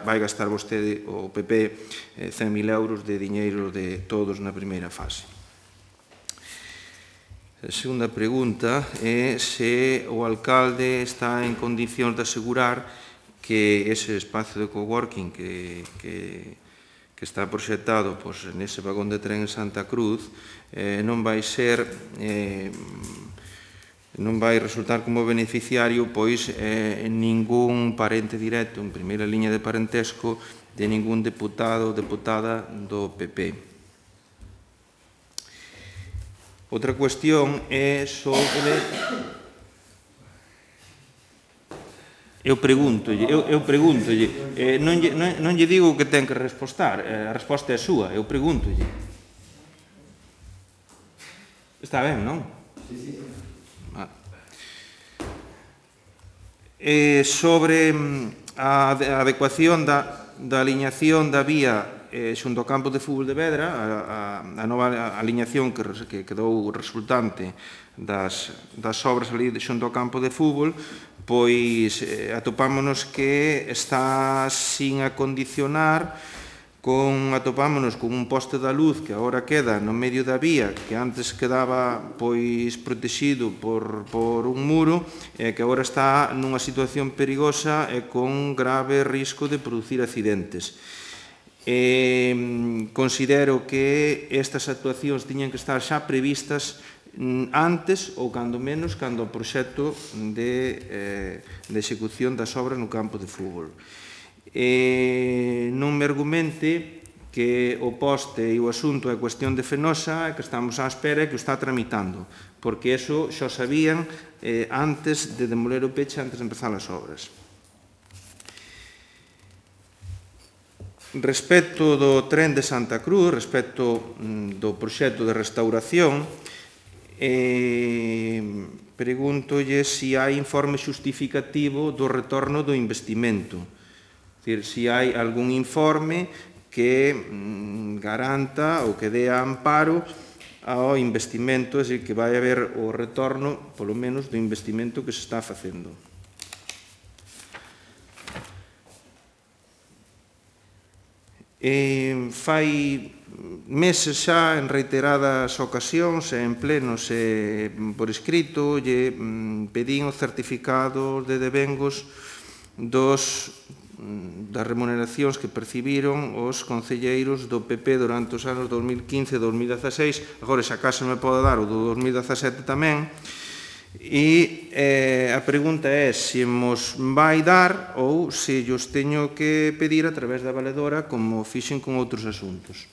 vai gastar vostede, o PP, 100.000 euros de diñeiro de todos na primeira fase. A segunda pregunta é se o alcalde está en condicións de asegurar que ese espacio de coworking que está proxectado nese vagón de tren en Santa Cruz non vai resultar como beneficiario ningún parente directo en primeira liña de parentesco de ningún deputado ou deputada do PP. Outra cuestión é sobre... Eu pregúntolle, non lle digo que ten que respostar, a resposta é súa, eu pregúntolle. Está ben, non? Sí. Sobre a adecuación da aliñación da vía xunto ao campo de fútbol de Vedra, a nova aliñación que quedou resultante das obras ali xunto ao campo de fútbol, pois atopámonos que está sin acondicionar, atopámonos con un poste da luz que agora queda no medio da vía, que antes quedaba protegido por un muro, e que agora está nunha situación perigosa e con grave risco de producir accidentes. Considero que estas actuacións tiñan que estar xa previstas antes ou cando menos cando o proxecto de execución das obras no campo de fútbol. Non me argumente que o poste e o asunto é cuestión de Fenosa e que estamos á espera e que o está tramitando, porque eso xa sabían antes de demoler o peche, antes de empezar as obras. Respecto do tren de Santa Cruz, respecto do proxecto de restauración, pregúntolle se hai informe xustificativo do retorno do investimento. É dicir, se hai algún informe que garanta ou que dé amparo ao investimento, é dicir, que vai haber o retorno, polo menos, do investimento que se está facendo. Fai meses xa, en reiteradas ocasións, en plenos e por escrito, lle pedín o certificado de devengos das remuneracións que percibiron os concelleiros do PP durante os anos 2015 e 2016. Agora, se acaso me pode dar o do 2017 tamén. E a pregunta é se mos vai dar ou se os teño que pedir a través da valedora como fixen con outros asuntos.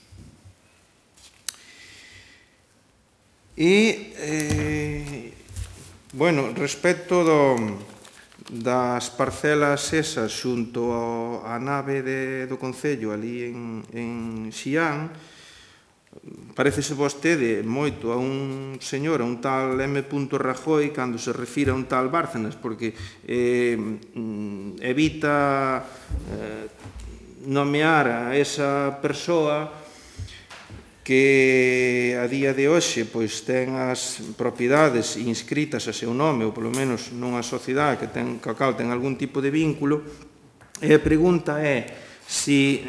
E, bueno, respecto das parcelas esas xunto á nave do Concello ali en Xián, parecese vostede moito a un señor, a un tal M. Rajoy, cando se refira a un tal Bárcenas, porque evita nomear a esa persoa que a día de hoxe ten as propiedades inscritas a seu nome, ou polo menos nunha sociedade coa cal ten algún tipo de vínculo, e a pregunta é se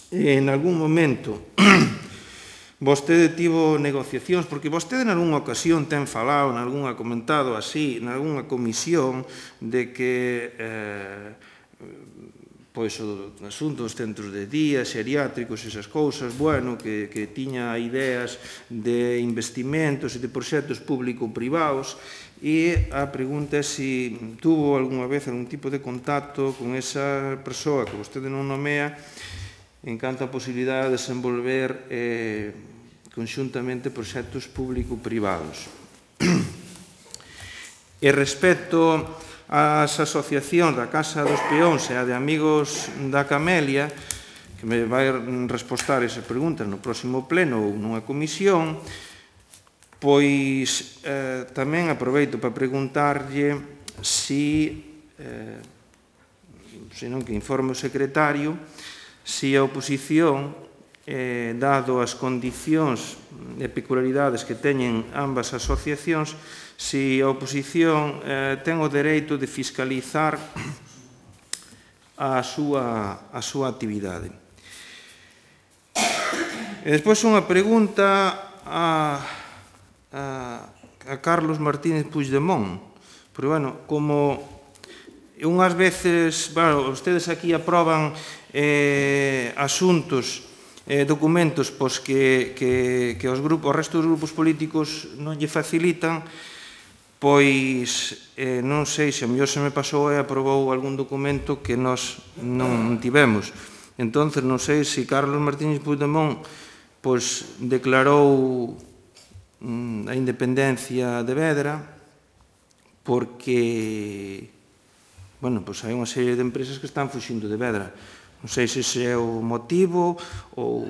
en algún momento vostede tivo negociacións, porque vostede en algunha ocasión ten falado, ha comentado así, en algunha comisión, de que o asunto dos centros de día, xeriátricos, esas cousas, bueno, que tiña ideas de investimentos e de proxectos público-privados, e a pregunta é se tuvo algunha vez algún tipo de contacto con esa persoa que vostede non nomea en canto a posibilidade de desenvolver conxuntamente proxectos público-privados. E respecto ás asociacións da Casa dos Peóns e a de Amigos da Camelia, que me vai respostar esas preguntas no próximo pleno ou nunha comisión, pois tamén aproveito para preguntarlle se non que informe o secretario, se a oposición, dado as condicións e peculiaridades que teñen ambas asociacións, se a oposición ten o dereito de fiscalizar a súa actividade. E despois unha pregunta a Carlos Martínez Puigdemont, porque, bueno, como unhas veces, bueno, ustedes aquí aproban asuntos, documentos que o resto dos grupos políticos non lle facilitan, pois non sei se a mellor se me pasou e aprobou algún documento que nós non tivemos. Entón, non sei se Carlos Martínez Puigdemont declarou a independencia de Vedra porque, bueno, hai unha serie de empresas que están fuxindo de Vedra. Non sei se ese é o motivo ou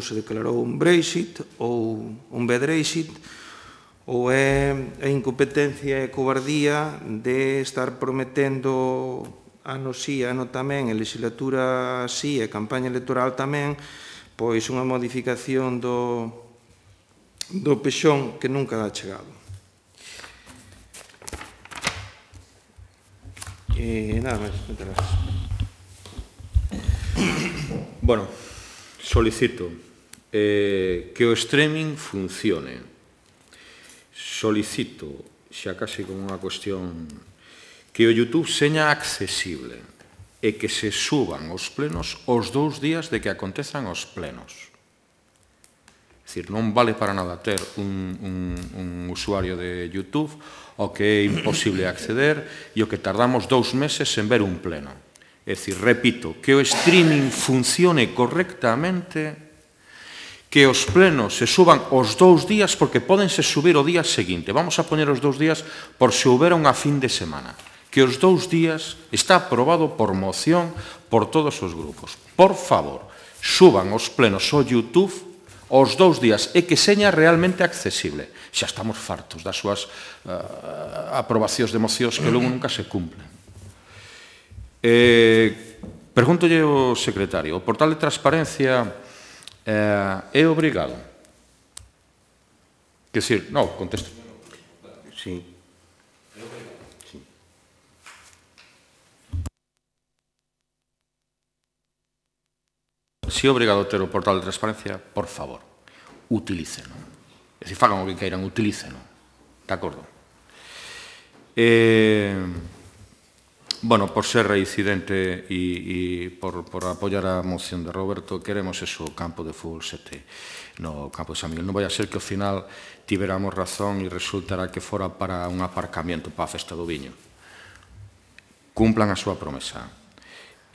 se declarou un Brexit ou un Vedrexit, ou é a incompetencia e cobardía de estar prometendo ano sí, ano tamén, e legislatura sí, e campaña electoral tamén, pois unha modificación do pexón que nunca ha chegado. E nada máis, moitas gracias. Bueno, solicito que o streaming funcione. Solicito, xa case como unha cuestión, que o YouTube seña accesible e que se suban os plenos os 2 días de que acontezan os plenos. É dicir, non vale para nada ter un usuario de YouTube ao que é imposible acceder e o que tardamos 2 meses en ver un pleno. É dicir, repito, que o streaming funcione correctamente, que os plenos se suban os 2 días porque pódense subir o día seguinte. Vamos a poñer os 2 días por se houbera unha fin de semana. Que os 2 días está aprobado por moción por todos os grupos. Por favor, suban os plenos ao YouTube os 2 días e que seña realmente accesible. Xa estamos fartos das súas aprobacións de mocións que logo nunca se cumplen. Pregúntolle ao secretario, o portal de transparencia É obrigado. Quer dizer, non, contesto. Sí. Se é obrigado ter o portal de transparencia, por favor, utilíceno. E se fagan o que queiran, utilíceno. De acordo? Bueno, por ser reincidente e por apoiar a moción de Roberto, queremos eso, o campo de fútbol 7 no campo de San Miguel. Non vai a ser que ao final tiveramos razón e resultará que fora para un aparcamiento para a festa do viño. Cumplan a súa promesa.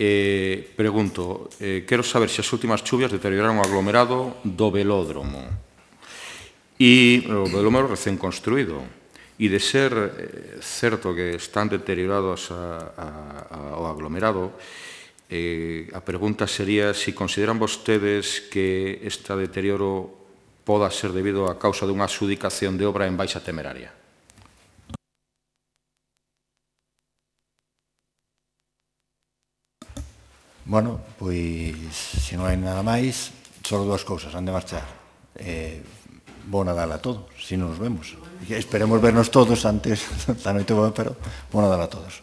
Pregunto, quero saber se as últimas chuvias deterioraron o aglomerado do velódromo e o velódromo recén construído. E de ser certo que están deteriorados ao aglomerado, a pregunta sería se consideran vostedes que este deterioro poda ser debido a causa dunha adxudicación de obra en baixa temeraria. Bueno, pois, se non hai nada máis, só dúas cousas, han de marchar. Bo Nadal a todos, se non nos vemos. Esperemos vernos todos antes da noite boa, pero bo Nadal a todos.